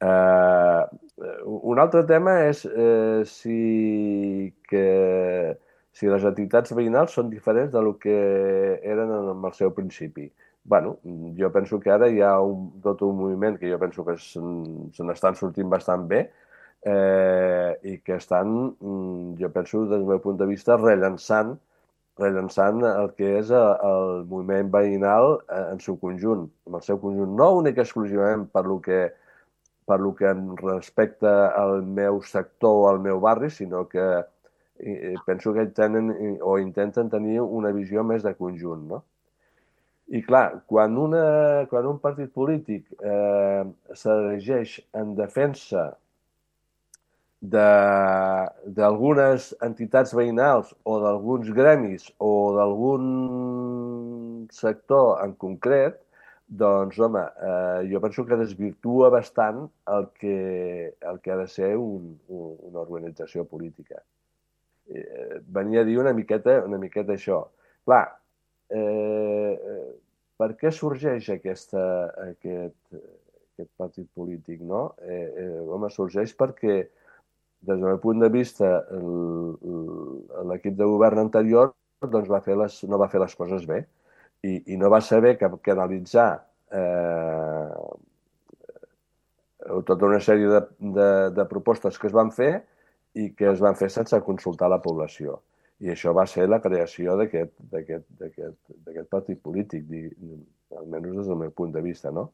Uh, un altre tema és uh, si, que, si les entitats veïnals són diferents de lo que eren en el seu principi. Bueno, jo penso que ara hi ha un, tot un moviment que jo penso que se n'estan sortint bastant bé eh, i que estan, jo penso, des del meu punt de vista, rellançant, rellançant el que és el moviment veïnal en seu conjunt, en el seu conjunt, no únic exclusivament per lo que per lo que respecta al meu sector o al meu barri, sinó que penso que tenen o intenten tenir una visió més de conjunt, no? I clar, quan, una, quan un partit polític eh, s'erigeix en defensa d'algunes entitats veïnals o d'alguns gremis o d'alguns sector en concret, doncs, home, eh, jo penso que desvirtua bastant el que, el que ha de ser un, un, una organització política. Eh, venia a dir una miqueta, una miqueta això. Clar, eh, per què sorgeix aquesta, aquest, aquest partit polític, no? Eh, eh, home, sorgeix perquè, des del meu punt de vista, l'equip de govern anterior doncs va fer les, no va fer les coses bé i, i no va saber que, que analitzar eh, tota una sèrie de, de, de propostes que es van fer i que es van fer sense consultar la població. I això va ser la creació d'aquest partit polític, almenys des del meu punt de vista, no?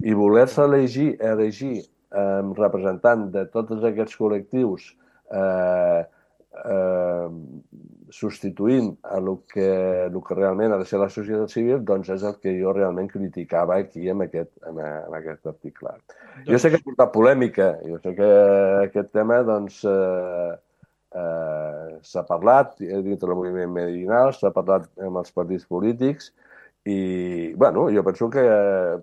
I voler-se elegir, elegir eh, representant de tots aquests col·lectius eh, eh, substituint a el que, el que realment ha de ser la societat civil, doncs és el que jo realment criticava aquí en aquest, en, en aquest article. Doncs... Jo sé que ha portat polèmica, jo sé que aquest tema doncs, eh, eh, s'ha parlat dintre del moviment medicinal, s'ha parlat amb els partits polítics i, bueno, jo penso que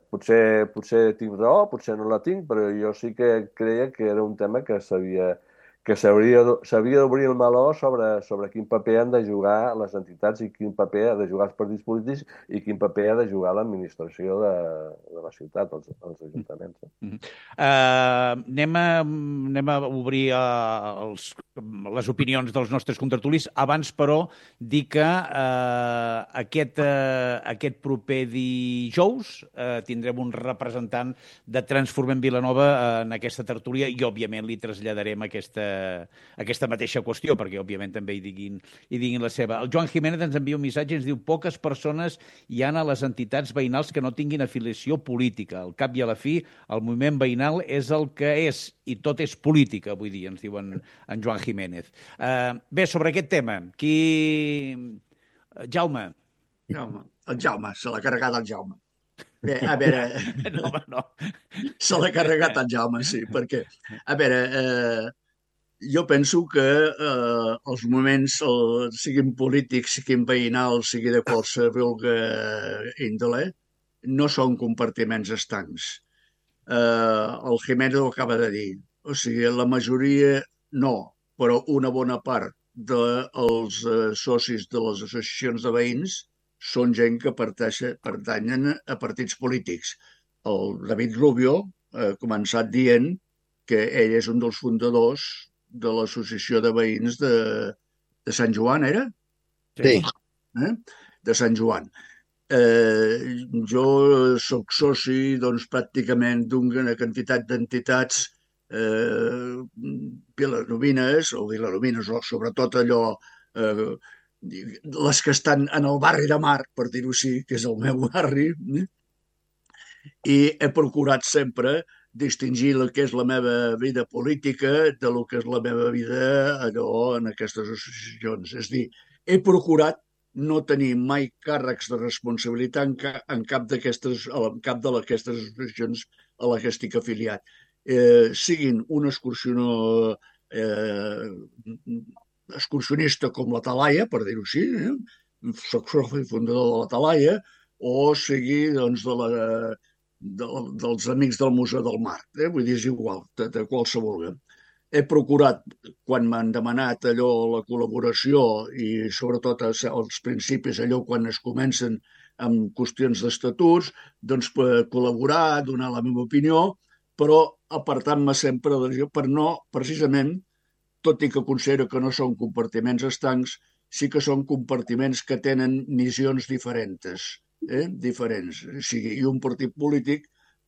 potser, potser tinc raó, potser no la tinc, però jo sí que creia que era un tema que s'havia que s'hauria d'obrir el meló sobre, sobre quin paper han de jugar les entitats i quin paper ha de jugar els partits polítics i quin paper ha de jugar l'administració de, de la ciutat, els, els ajuntaments. Mm-hmm. uh, anem, a, anem a obrir uh, els, les opinions dels nostres contertulis. Abans, però, dir que uh, aquest, uh, aquest proper dijous uh, tindrem un representant de Transformem Vilanova uh, en aquesta tertúlia i, òbviament, li traslladarem aquesta aquesta mateixa qüestió, perquè òbviament també hi diguin, hi diguin la seva. El Joan Jiménez ens envia un missatge i ens diu: poques persones hi ha a les entitats veïnals que no tinguin afiliació política. Al cap i a la fi, el moviment veïnal és el que és, i tot és política, avui dia, ens diu en, en Joan Jiménez. Uh, bé, sobre aquest tema, qui... Jaume. Jaume. El Jaume, se l'ha carregat el Jaume. Bé, a veure... no, no. Se l'ha carregat el Jaume, sí, perquè, a veure... Eh... Jo penso que eh, els moviments, el, siguin polítics, siguin veïnals, sigui de qualsevol índole, no són compartiments estancs. Eh, el Jiménez ho acaba de dir. O sigui, la majoria no, però una bona part dels eh, socis de les associacions de veïns són gent que pertanyen a partits polítics. El David Rubio ha començat dient que ell és un dels fundadors de l'associació de veïns de, de Sant Joan, era? Sí. Eh? De Sant Joan. Eh, jo soc soci, doncs, pràcticament d'una quantitat d'entitats eh, vilanovines, o vilanovines, o sobretot allò, eh, les que estan en el barri de Mar, per dir-ho així, que és el meu barri, eh? I he procurat sempre distingir el que és la meva vida política de lo que és la meva vida allò en aquestes associacions. És dir, he procurat no tenir mai càrrecs de responsabilitat en, ca, en cap d'aquestes en cap d'aquestes associacions a les que estic afiliat. Eh, siguin un excursionó eh, excursionista com la Talaia, per dir-ho així, eh? Soc soci fundador de la Talaia, o sigui doncs, de la De, dels amics del Museu del Mar, eh? Vull dir, és igual, de, de qualsevol. He procurat, quan m'han demanat allò, la col·laboració i sobretot als principis, allò quan es comencen amb qüestions d'estatuts, doncs per col·laborar, donar la meva opinió, però apartant-me sempre de, per no, precisament, tot i que considero que no són compartiments estancs, sí que són compartiments que tenen missions diferents. Eh, diferents. O sigui, i un partit polític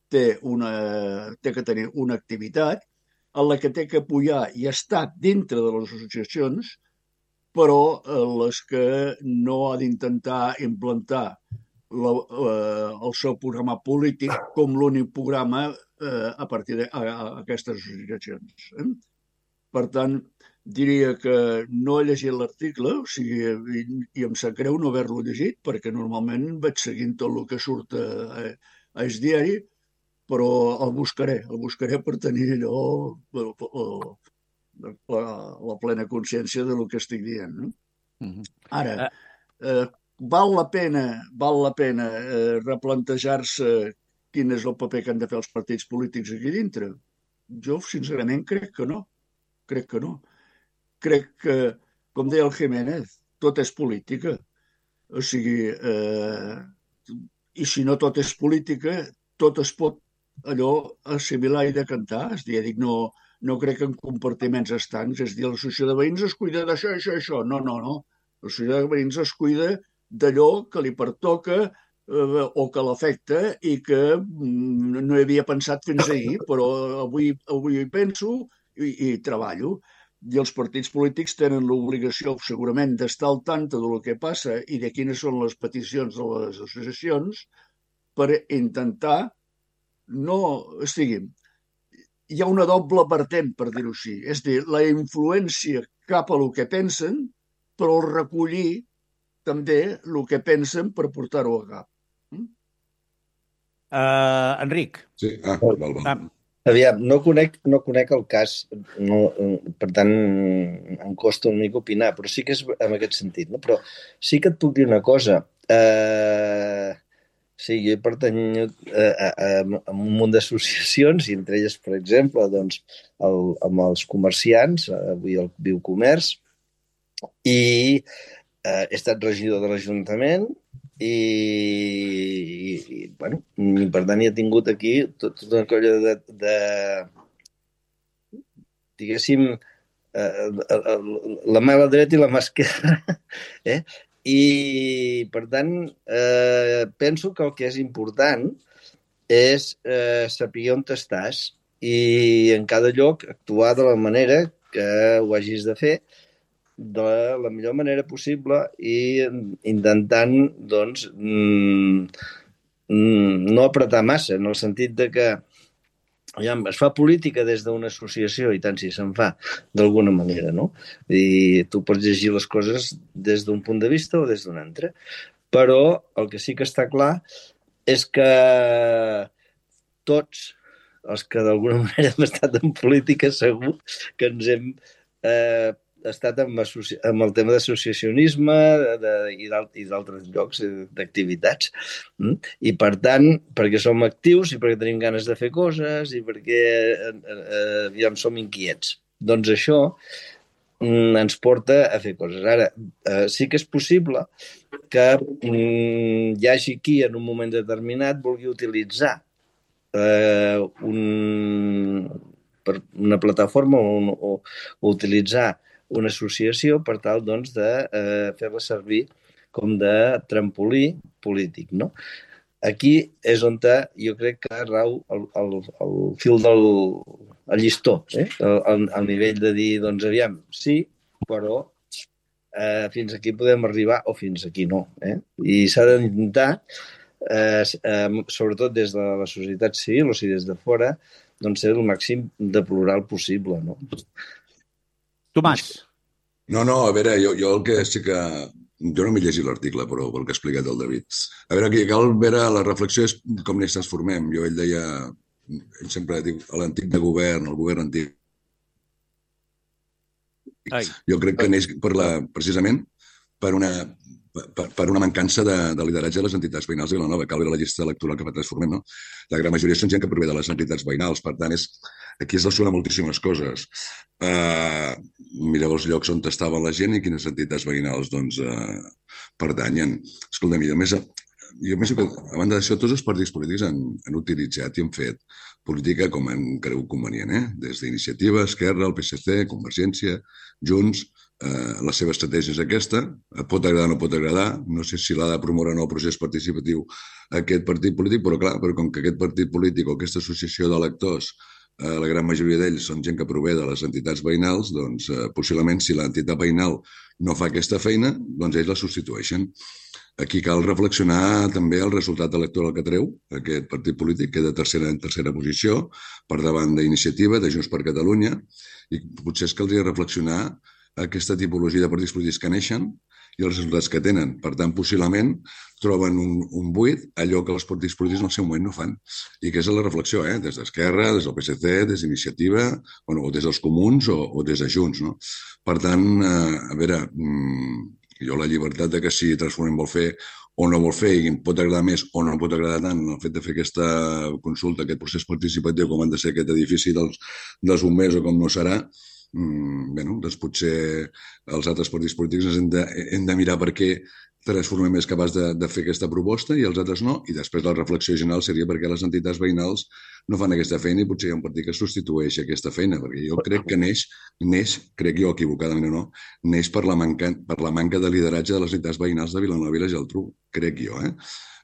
té, una, té que tenir una activitat en la que té que apoyar i estar dintre de les associacions, però les que no ha d'intentar implantar la, eh, el seu programa polític com l'únic programa eh, a partir d'aquestes associacions. Eh? Per tant, diria que no he llegit l'article, o sigui, i, i em sap greu no haver-lo llegit, perquè normalment vaig seguint tot el que surt a, a Es Diari, però el buscaré, el buscaré per tenir allò, la, la plena consciència del que estic dient. No? Ara, eh, val la pena, val la pena eh, replantejar-se quin és el paper que han de fer els partits polítics aquí dintre? Jo, sincerament, crec que no. Crec que no. Crec que, com deia el Jiménez, tot és política. O sigui, eh, i si no tot és política, tot es pot allò assimilar i decantar. És dir, dic, no, no crec en compartiments estancs. És dir, l'associació de veïns es cuida d'això, això, això. No, no, no. L'associació de veïns es cuida d'allò que li pertoca eh, o que l'afecta i que mm, no hi havia pensat fins ahir, però avui, avui hi penso i, i treballo. I els partits polítics tenen l'obligació segurament d'estar al tanto del que passa i de quines són les peticions de les associacions per intentar no... O sigui, hi ha una doble vertent, per dir-ho així. És a dir, la influència cap a el que pensen, però recollir també el que pensen per portar-ho a cap. Mm? Uh, Enric. Sí, ah, val, val. Ah. Aviam, no conec, no conec el cas, no, per tant em costa una mica opinar, però sí que és en aquest sentit. No? Però sí que et puc dir una cosa. Eh, sí, jo pertanyo a, a, a un munt d'associacions, i entre elles, per exemple, doncs, el, amb els comerciants, avui el Biocomerç, i eh, he estat regidor de l'Ajuntament, i, i, i bueno, i per tant hi ha tingut aquí tot, tota una colla de, de diguéssim eh, la mà a la dreta i la mà a esquerra eh? I per tant eh, penso que el que és important és eh, saber on estàs i en cada lloc actuar de la manera que ho hagis de fer de la millor manera possible i intentant, doncs, mm, mm, no apretar massa, en el sentit de que aviam, es fa política des d'una associació i tant si se'n fa d'alguna manera, no? I tu pots llegir les coses des d'un punt de vista o des d'un altre. Però el que sí que està clar és que tots els que d'alguna manera hem estat en política segur que ens hem eh, estat amb, amb el tema d'associacionisme de, i d'altres llocs d'activitats. I per tant, perquè som actius i perquè tenim ganes de fer coses i perquè eh, ja som inquiets. Doncs això mm, ens porta a fer coses. Ara, eh, sí que és possible que mm, hi hagi qui en un moment determinat vulgui utilitzar eh, un, per una plataforma o, o, o utilitzar una associació per tal doncs, de eh, fer-la servir com de trampolí polític. No? Aquí és on jo crec que rau el, el, el fil del el llistó, eh? el, el nivell de dir, doncs aviam, sí, però eh, fins aquí podem arribar o fins aquí no. Eh? I s'ha d'intentar, eh, eh, sobretot des de la societat civil o sigui des de fora, doncs ser el màxim de plural possible. No? Tomàs. No, no, a veure, jo, jo el que sí que... Jo no m'he llegit l'article, però pel que ha explicat el David. A veure, aquí cal veure, la reflexió és com n'hi transformem. Jo, ell deia, ell sempre diu, l'antic de govern, el govern antic. Ai. Jo crec que neix per la, precisament per una, per, per una mancança de, de lideratge de les entitats veïnals de Vilanova. Cal veure la llista electoral que va transformem, no? La gran majoria són gent que prové de les entitats veïnals, per tant, és, aquí es relaciona moltíssimes coses. Uh, mireu els llocs on estava la gent i quines entitats veïnals doncs, uh, pertanyen. Escolta'm, jo més, jo penso que, a banda d'això, tots els partits polítics han, han utilitzat i han fet política com han cregut convenient, eh? Des d'Iniciativa, Esquerra, el P S C, Convergència, Junts, eh, la seva estratègia és aquesta, pot agradar o no pot agradar, no sé si l'ha de promoure o no el procés participatiu aquest partit polític, però clar, però com que aquest partit polític o aquesta associació d'electors Eh, la gran majoria d'ells són gent que prové de les entitats veïnals, doncs eh, possiblement si l'entitat veïnal no fa aquesta feina, doncs ells la substitueixen. Aquí cal reflexionar també el resultat electoral que treu aquest partit polític, que és de tercera en tercera posició, per davant d'Iniciativa, de Junts per Catalunya, i potser és que caldria reflexionar aquesta tipologia de partits polítics que neixen i els resultats que tenen. Per tant, possiblement troben un, un buit, allò que els partits polítics en el seu moment no fan. I que és la reflexió, eh? Des d'Esquerra, des del P S C, des d'Iniciativa, bueno, o des dels Comuns o, o des de Junts. No? Per tant, eh, a veure, mm, Jo la llibertat de que si Transformem vol fer o no vol fer, i em pot agradar més o no em pot agradar tant el fet de fer aquesta consulta, aquest procés participatiu, com han de ser aquest edifici dels, dels bombers o com no serà, mm, bé, doncs potser els altres partits polítics ens hem de, hem de mirar per què Transformem és capaç de, de fer aquesta proposta i els altres no, i després la reflexió general seria perquè les entitats veïnals no fan aquesta feina i potser hi ha un partit que substitueix aquesta feina, perquè jo crec que neix, neix crec jo equivocadament o no, neix per la manca, per la manca de lideratge de les entitats veïnals de Vilanova i la Geltrú, crec jo, eh?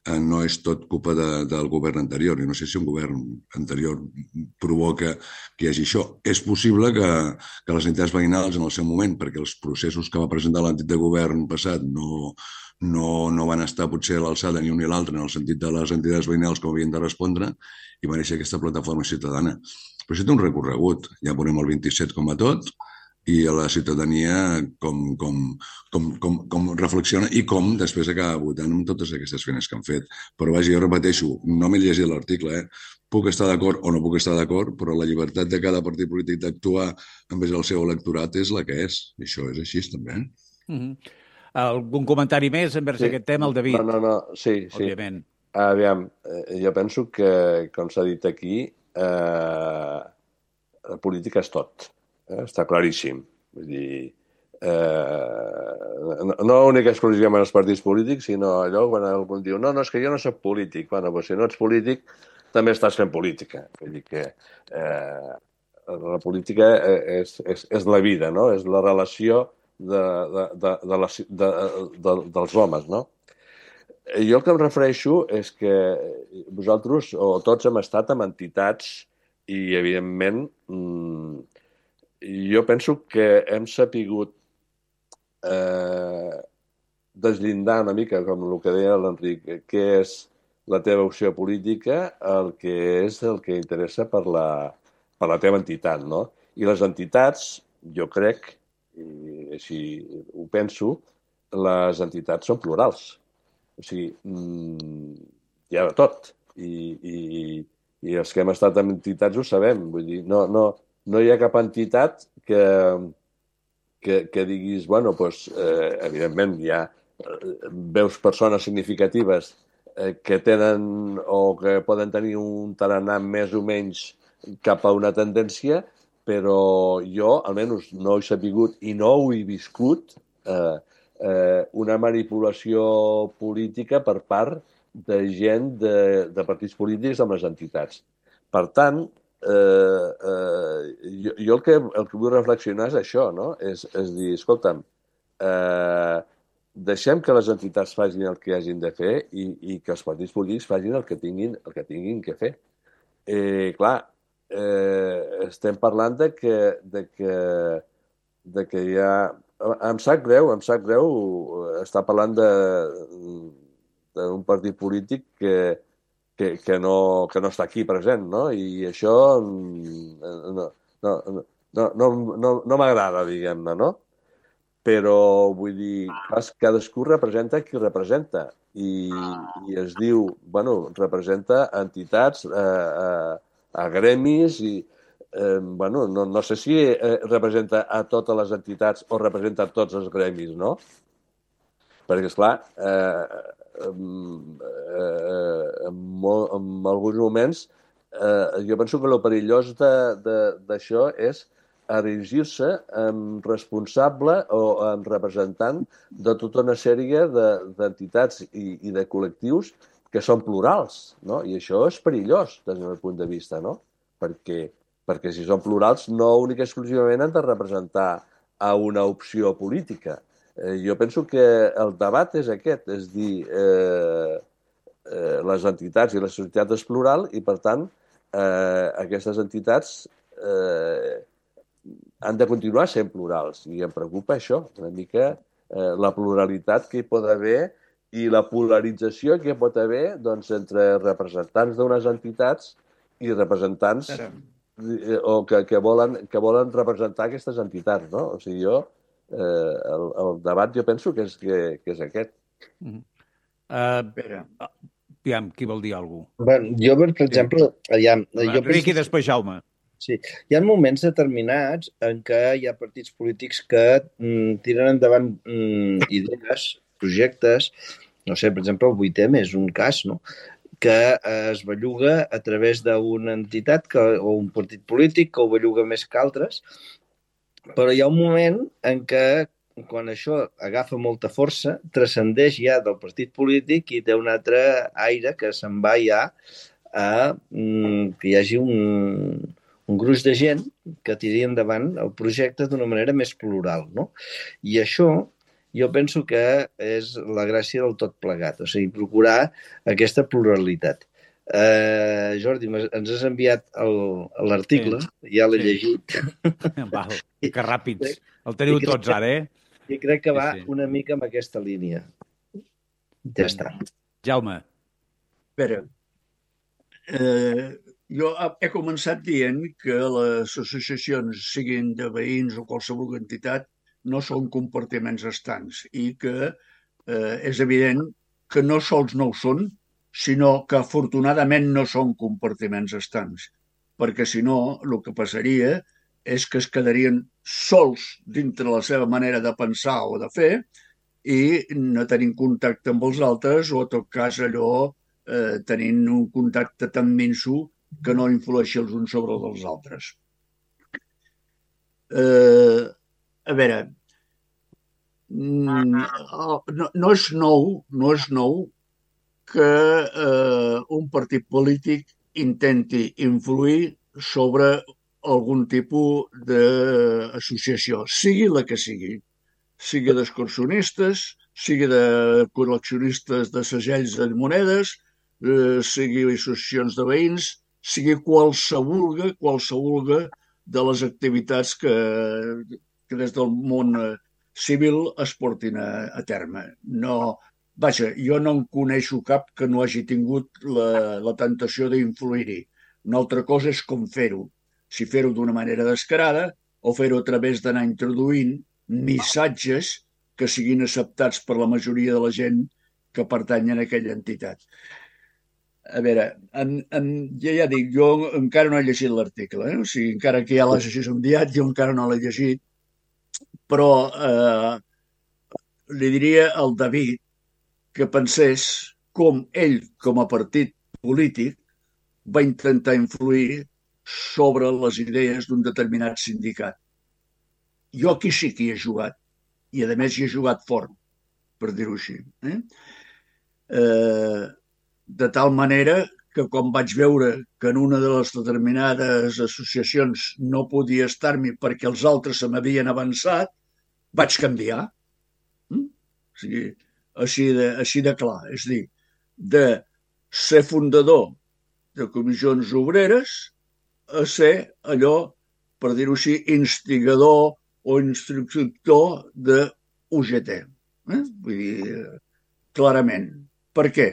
No és tot culpa de, del govern anterior. I no sé si un govern anterior provoca que hi hagi això. És possible que, que les entitats veïnals en el seu moment, perquè els processos que va presentar l'antic de govern passat no, no, no van estar potser a l'alçada ni un ni l'altre en el sentit de les entitats veïnals com havien de respondre, i va néixer aquesta plataforma ciutadana. Però això té un recorregut. Ja veurem el vint-i-set com a tot, i a la ciutadania com, com, com, com, com reflexiona i com després acaba votant amb totes aquestes feines que han fet. Però vaja, jo repeteixo, no m'he llegit l'article, eh? Puc estar d'acord o no puc estar d'acord, però la llibertat de cada partit polític d'actuar envers el seu electorat és la que és. I això és així, també. Mm-hmm. Algun comentari més envers sí. aquest tema, el David? No, no, no, sí, sí. Òbviament. Aviam, jo penso que, com s'ha dit aquí, eh, la política és tot. Està claríssim. Vull dir, eh, no, no únic exclusivament els partits polítics, sinó allò quan algú diu no, no, és que jo no soc polític. Bueno, doncs si no ets polític, també estàs fent política. Vull dir que eh, la política és, és, és la vida, no? És la relació de, de, de, de la, de, de, dels homes, no? Jo el que em refereixo és que vosaltres, o tots, hem estat amb entitats i, evidentment, mmm, jo penso que hem sapigut eh, deslindar una mica, com el que deia l'Enric, què és la teva opció política, el que és el que interessa per la, per la teva entitat, no? I les entitats, jo crec, i així ho penso, les entitats són plurals. O sigui, hi ha de tot. I, i, i els que hem estat en entitats ho sabem. Vull dir, no, no, no hi ha cap entitat que, que, que diguis, bueno, doncs, eh, evidentment, hi ha, veus persones significatives eh, que tenen o que poden tenir un tarannà més o menys cap a una tendència, però jo, almenys, no he sabut i no ho he viscut eh, eh, una manipulació política per part de gent de, de partits polítics amb les entitats. Per tant, eh, eh, jo, jo el, que, el que vull reflexionar és això, no? És, és dir, escolta'm, eh, deixem que les entitats facin el que hagin de fer i, i que els partits polítics facin el que tinguin, el que tinguin que fer. Eh, clar, eh, estem parlant de que, de que, de que hi ha... Em sap greu, em sap greu estar parlant de d'un partit polític que, que, que, no, que no està aquí present, no? I això no, no, no, no, no, no m'agrada, diguem-ne, no? Però, vull dir, cadascú representa qui representa i, i es diu, bueno, representa entitats, eh, a, a gremis i, eh, bueno, no, no sé si eh, representa a totes les entitats o representa a tots els gremis, no? Perquè, esclar, eh, eh, en, molt, en alguns moments eh, jo penso que el perillós d'això és erigir-se en responsable o en representant de tota una sèrie d'entitats i, i de col·lectius que són plurals, no? I això és perillós des del meu punt de vista, no? Perquè, perquè si són plurals no únic i exclusivament han de representar a una opció política. Eh, jo penso que el debat és aquest, és dir, eh, eh, les entitats i la societat és plural i, per tant, eh, aquestes entitats eh, han de continuar sent plurals. I em preocupa això, una mica eh, la pluralitat que hi pot haver i la polarització que hi pot haver doncs, entre representants d'unes entitats i representants eh, o que, que, volen, que volen representar aquestes entitats, no? O sigui, jo Eh, el, el debat jo penso que és, que, que és aquest. Uh-huh. uh, aviam, qui vol dir alguna cosa? Bueno, jo, per exemple... Aviam, jo Enric i després Jaume. Sí. Hi ha moments determinats en què hi ha partits polítics que mm, tiren endavant mm, idees, projectes, no sé, per exemple, el vuit eme és un cas, no?, que es belluga a través d'una entitat que, o un partit polític que ho belluga més que altres, però hi ha un moment en què quan això agafa molta força, transcendeix ja del partit polític i té un altre aire que se'n va ja a mm, que hi hagi un, un gruix de gent que tiri endavant el projecte d'una manera més plural, no? I això jo penso que és la gràcia del tot plegat, o sigui, procurar aquesta pluralitat. Uh, Jordi, ens has enviat l'article, sí, ja l'he sí. llegit. Val, que ràpids. El teniu tots que, ara, eh? I crec que va sí, sí. una mica amb aquesta línia. Ja està. Jaume. A veure, eh, jo he començat dient que les associacions, siguin de veïns o qualsevol entitat, no són compartiments estancs i que eh, és evident que no sols no ho són, sinó que afortunadament no són compartiments estancs, perquè si no el que passaria és que es quedarien sols dintre la seva manera de pensar o de fer i no tenint contacte amb els altres o, en tot cas, allò eh, tenint un contacte tan minso que no influeixi els uns sobre els altres. Eh, a veure, no, no és nou, no és nou que eh, un partit polític intenti influir sobre algun tipus d'associació, sigui la que sigui, sigui d'excursionistes, sigui de col·leccionistes de segells de monedes, eh, sigui associacions de veïns, sigui qualsevol, qualsevol de les activitats que, que des del món civil es portin a, a terme. No, vaja, jo no en coneixo cap que no hagi tingut la, la tentació d'influir-hi. Una altra cosa és com fer-ho. Si fer-ho d'una manera descarada o fer-ho a través d'anar introduint missatges que siguin acceptats per la majoria de la gent que pertany a aquella entitat. A veure, en, en, ja, ja dic, jo encara no he llegit l'article, eh? O sigui, encara que ja l'has enviat, jo encara no l'he llegit, però eh, li diria al David que pensés com ell, com a partit polític, va intentar influir sobre les idees d'un determinat sindicat. Jo aquí sí que hi he jugat, i a més hi he jugat fort, per dir-ho així. Eh? Eh, de tal manera que quan vaig veure que en una de les determinades associacions no podia estar-m'hi perquè els altres se m'havien avançat, vaig canviar. Mm? O sigui, així de, així de clar. És a dir, de ser fundador de comissions obreres a ser allò, per dir-ho així, instigador o instructor de U G T. Eh? Vull dir, clarament. Per què?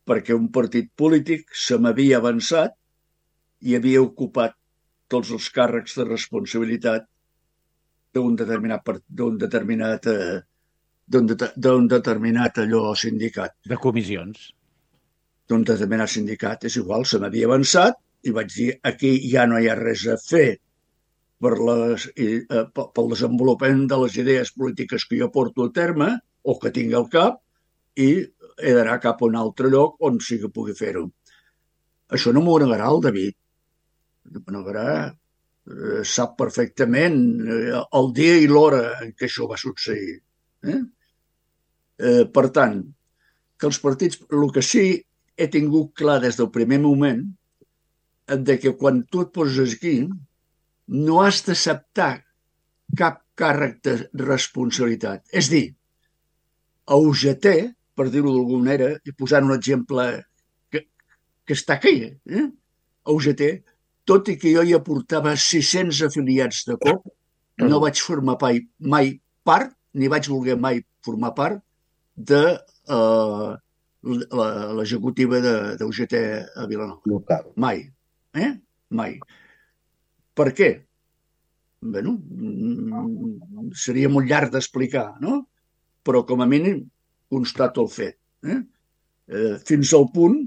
Perquè un partit polític se m'havia avançat i havia ocupat tots els càrrecs de responsabilitat d'un determinat, d'un determinat, d'un determinat allò sindicat. De comissions. D'un determinat sindicat. És igual, se m'havia avançat i vaig dir, aquí ja no hi ha res a fer per les, eh, pel desenvolupament de les idees polítiques que jo porto a terme o que tinc al cap i he d'anar cap a un altre lloc on sí que pugui fer-ho. Això no m'ho negarà el David. M'ho negarà. Eh, sap perfectament eh, el dia i l'hora en què això va succeir. Eh? Eh, per tant, que els partits, el que sí he tingut clar des del primer moment de que quan tu et poses aquí no has d'acceptar cap càrrec de responsabilitat. És dir, a U G T, per dir-ho d'alguna manera, i posant un exemple que, que està aquí, eh? a U G T, tot i que jo hi aportava sis-cents afiliats de cop, no vaig formar mai, mai part, ni vaig voler mai formar part de uh, l'executiva de, de U G T a Vilanova. Local. Mai. Eh? Mai. Per què? Bueno, seria molt llarg d'explicar, no? Però com a mínim constato el fet. Eh? Eh, fins al punt,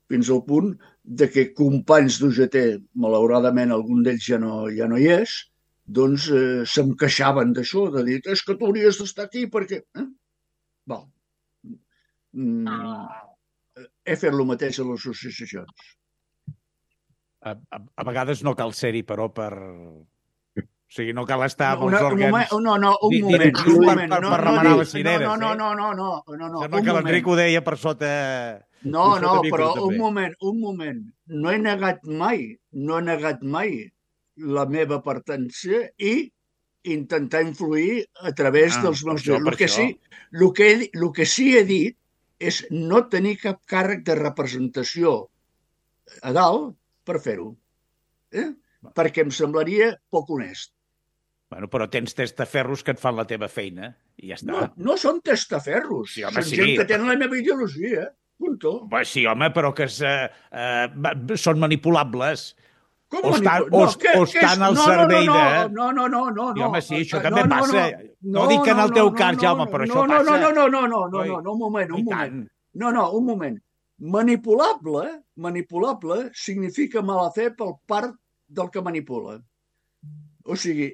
fins al punt de que companys d'U G T, malauradament algun d'ells ja no, ja no hi és, doncs eh, se'm queixaven d'això, de dir, és que tu hauries d'estar aquí perquè... Eh? Val. Mm, he fet el mateix a les associacions. A, a, a vegades no cal ser-hi, però per... O sigui, no cal estar amb No, els un òrgans... moment, no, no, un di- moment, directius un per- moment. per- no, per no remenar dic- les cireres, no, no, eh? no, no, no, no, no, Sembla un que moment. l'Enric ho deia per sota... No, per sota no, micro, però també. un moment, un moment. No he negat mai, no he negat mai la meva pertància i intentar influir a través Ah, dels per meus... això, El per que, això. sí, el, que he, el que sí he dit és no tenir cap càrrec de representació a dalt per fer-ho. Eh? Perquè em semblaria poc honest. Bueno, però tens testaferros que et fan la teva feina i ja està. No, no són testaferros. Sí, home, són sí. gent que tenen la meva ideologia. Punto. Bé, sí, home, però que es, eh, eh, va- són manipulables. Com O estan- manipula- o- què- o què és? estan al No, servei no, no, de- No, no, no, no. Sí, home, sí, això no, també no, passa. No, No dic que en el no, teu no, cas, no, Jaume, però no, això no, passa. No, no, no, no, no, Oi? no, no, un moment, I un tant. moment. No, no, un moment. Manipulable, manipulable significa mala fe pel part del que manipula. O sigui,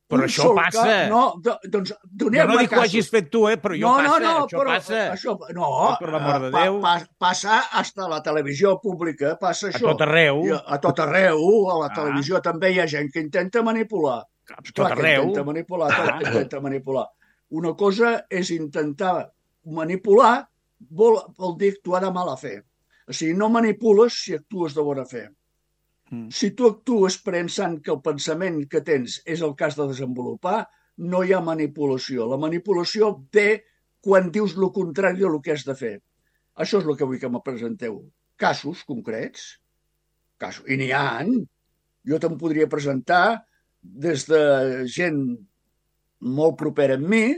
Però un això sol passa. Cas, no, do, doncs Jo doneu-me no dic que ho casos. hagis fet tu, eh, però jo no, passa, no, no, això però passa. Això, no, Ai, per l'amor de pa, Déu. pa, passa hasta a la televisió pública, passa A això. tot arreu. I a, a tot arreu, a la Ah. televisió també hi ha gent que intenta manipular. A tot Clar que arreu. intenta manipular, Ah. tot intenta manipular. Una cosa és intentar manipular, vol, vol dir actuar de mala fe. O sigui, no manipules si actues de bona fe. Mm. Si tu actues pensant que el pensament que tens és el cas de desenvolupar, no hi ha manipulació. La manipulació ve quan dius el contrari del que has de fer. Això és el que vull que me presenteu. Casos concrets. Casos. I n'hi ha. Jo te'n podria presentar des de gent molt propera a mi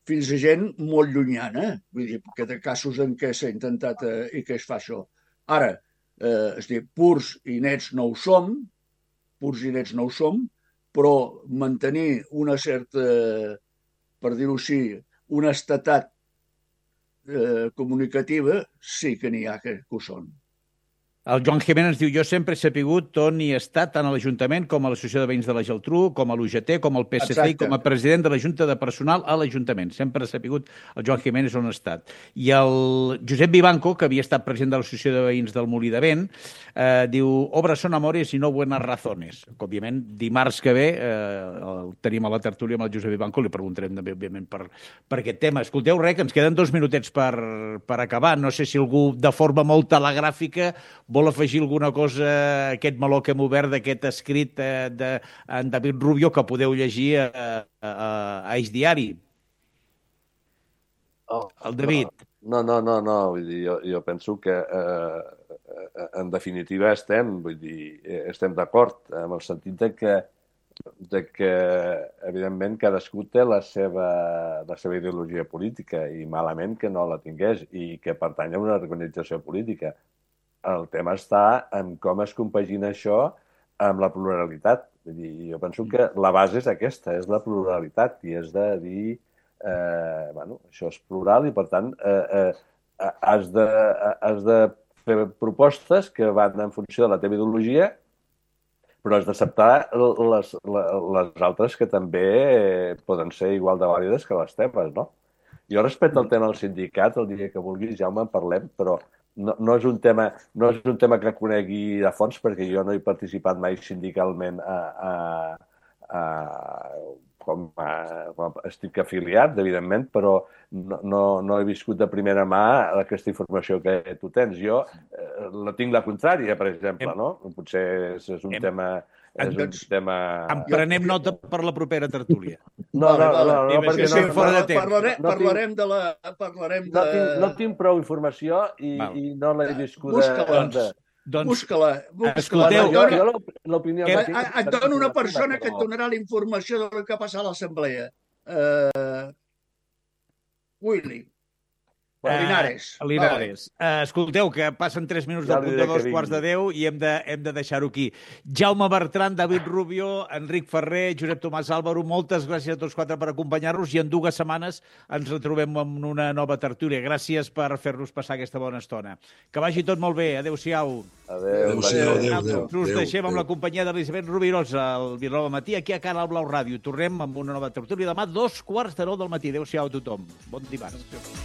fins a gent molt llunyana. Vull dir, que de casos en què s'ha intentat eh, i que es fa això. Ara, eh, és dir, purs i nets no ho som, purs i nets no ho som, però mantenir una certa, per dir-ho així, una estatat eh, comunicativa sí que n'hi ha que, que ho són. El Joan Jiménez diu, jo sempre he sapigut on hi he estat, tant a l'Ajuntament com a l'Associació de Veïns de la Geltrú, com a l'U G T, com al P S C i Exacte. com a president de la Junta de Personal a l'Ajuntament. Sempre he sapigut el Joan Jiménez on ha estat. I el Josep Vivanco, que havia estat president de l'Associació de Veïns del Molí de Vent, eh, diu, obras son amores i no buenas razones. Que, òbviament, dimarts que ve eh, el tenim a la tertúlia amb el Josep Vivanco, li preguntarem també, òbviament, per, per aquest tema. Escolteu, res, que ens queden dos minutets per, per acabar. No sé si algú, de forma molt telegràfica, vol afegir alguna cosa a aquest meló que hem obert d'aquest escrit eh, d'en David Rubio que podeu llegir a, a, a Eix Diari. Oh, El David. No, no, no, no. Vull dir, jo, jo penso que eh, en definitiva estem, vull dir, estem d'acord en el sentit de que, de que evidentment cadascú té la seva, la seva ideologia política i malament que no la tingués i que pertany a una organització política. El tema està en com es compagina això amb la pluralitat. Vull dir, jo penso que la base és aquesta, és la pluralitat, i és de dir, eh, bueno, això és plural i, per tant, eh, eh, has, de, has de fer propostes que van en funció de la teva ideologia, però has d'acceptar les, les altres que també poden ser igual de vàlides que les teves, no? Jo respecte al tema del sindicat, el dia que vulguis, Jaume, en parlem, però no, no, és un tema, no és un tema que conegui a fons, perquè jo no he participat mai sindicalment a, a, a, com, a, com estic afiliat, evidentment, però no, no, no he viscut de primera mà aquesta informació que tu tens. Jo eh, la tinc la contrària, per exemple, no? Potser és, és un Hem... tema... És un tema... En prenem nota per la propera tertúlia. No, no, no, no, no, perquè sí, no, fora de no, temps. Parlarem, no parlarem de la... Parlarem de... no, tinc, no tinc prou informació i, i no l'he viscuda... Busca-la. De... Doncs, Busca-la. Busca escolteu, jo, jo, jo l'opinió... que- que tinc- et dono una persona que et donarà la informació del que ha passat a l'assemblea. Uh, Willy. Per Linares. Uh, Linares. Uh, escolteu, que passen tres minuts Ja del li punt diré de dos que quarts de deu i hem de, hem de deixar-ho aquí. Jaume Bertran, David Rubio, Enric Ferrer, Josep Tomàs Álvaro, moltes gràcies a tots quatre per acompanyar-nos i en dues setmanes ens retrobem en una nova tertúlia. Gràcies per fer-nos passar aquesta bona estona. Que vagi tot molt bé. Adéu-siau. Adéu. Adéu-siau, adéu, adéu. Us adéu, deixem amb adéu. la companyia d'Elisabet Rovirosa al Vilanova Matí, aquí a Canal Blau Ràdio. Tornem amb una nova tertúlia demà, dos quarts de nou del matí. Adéu-siau a tothom. Bon dimarts.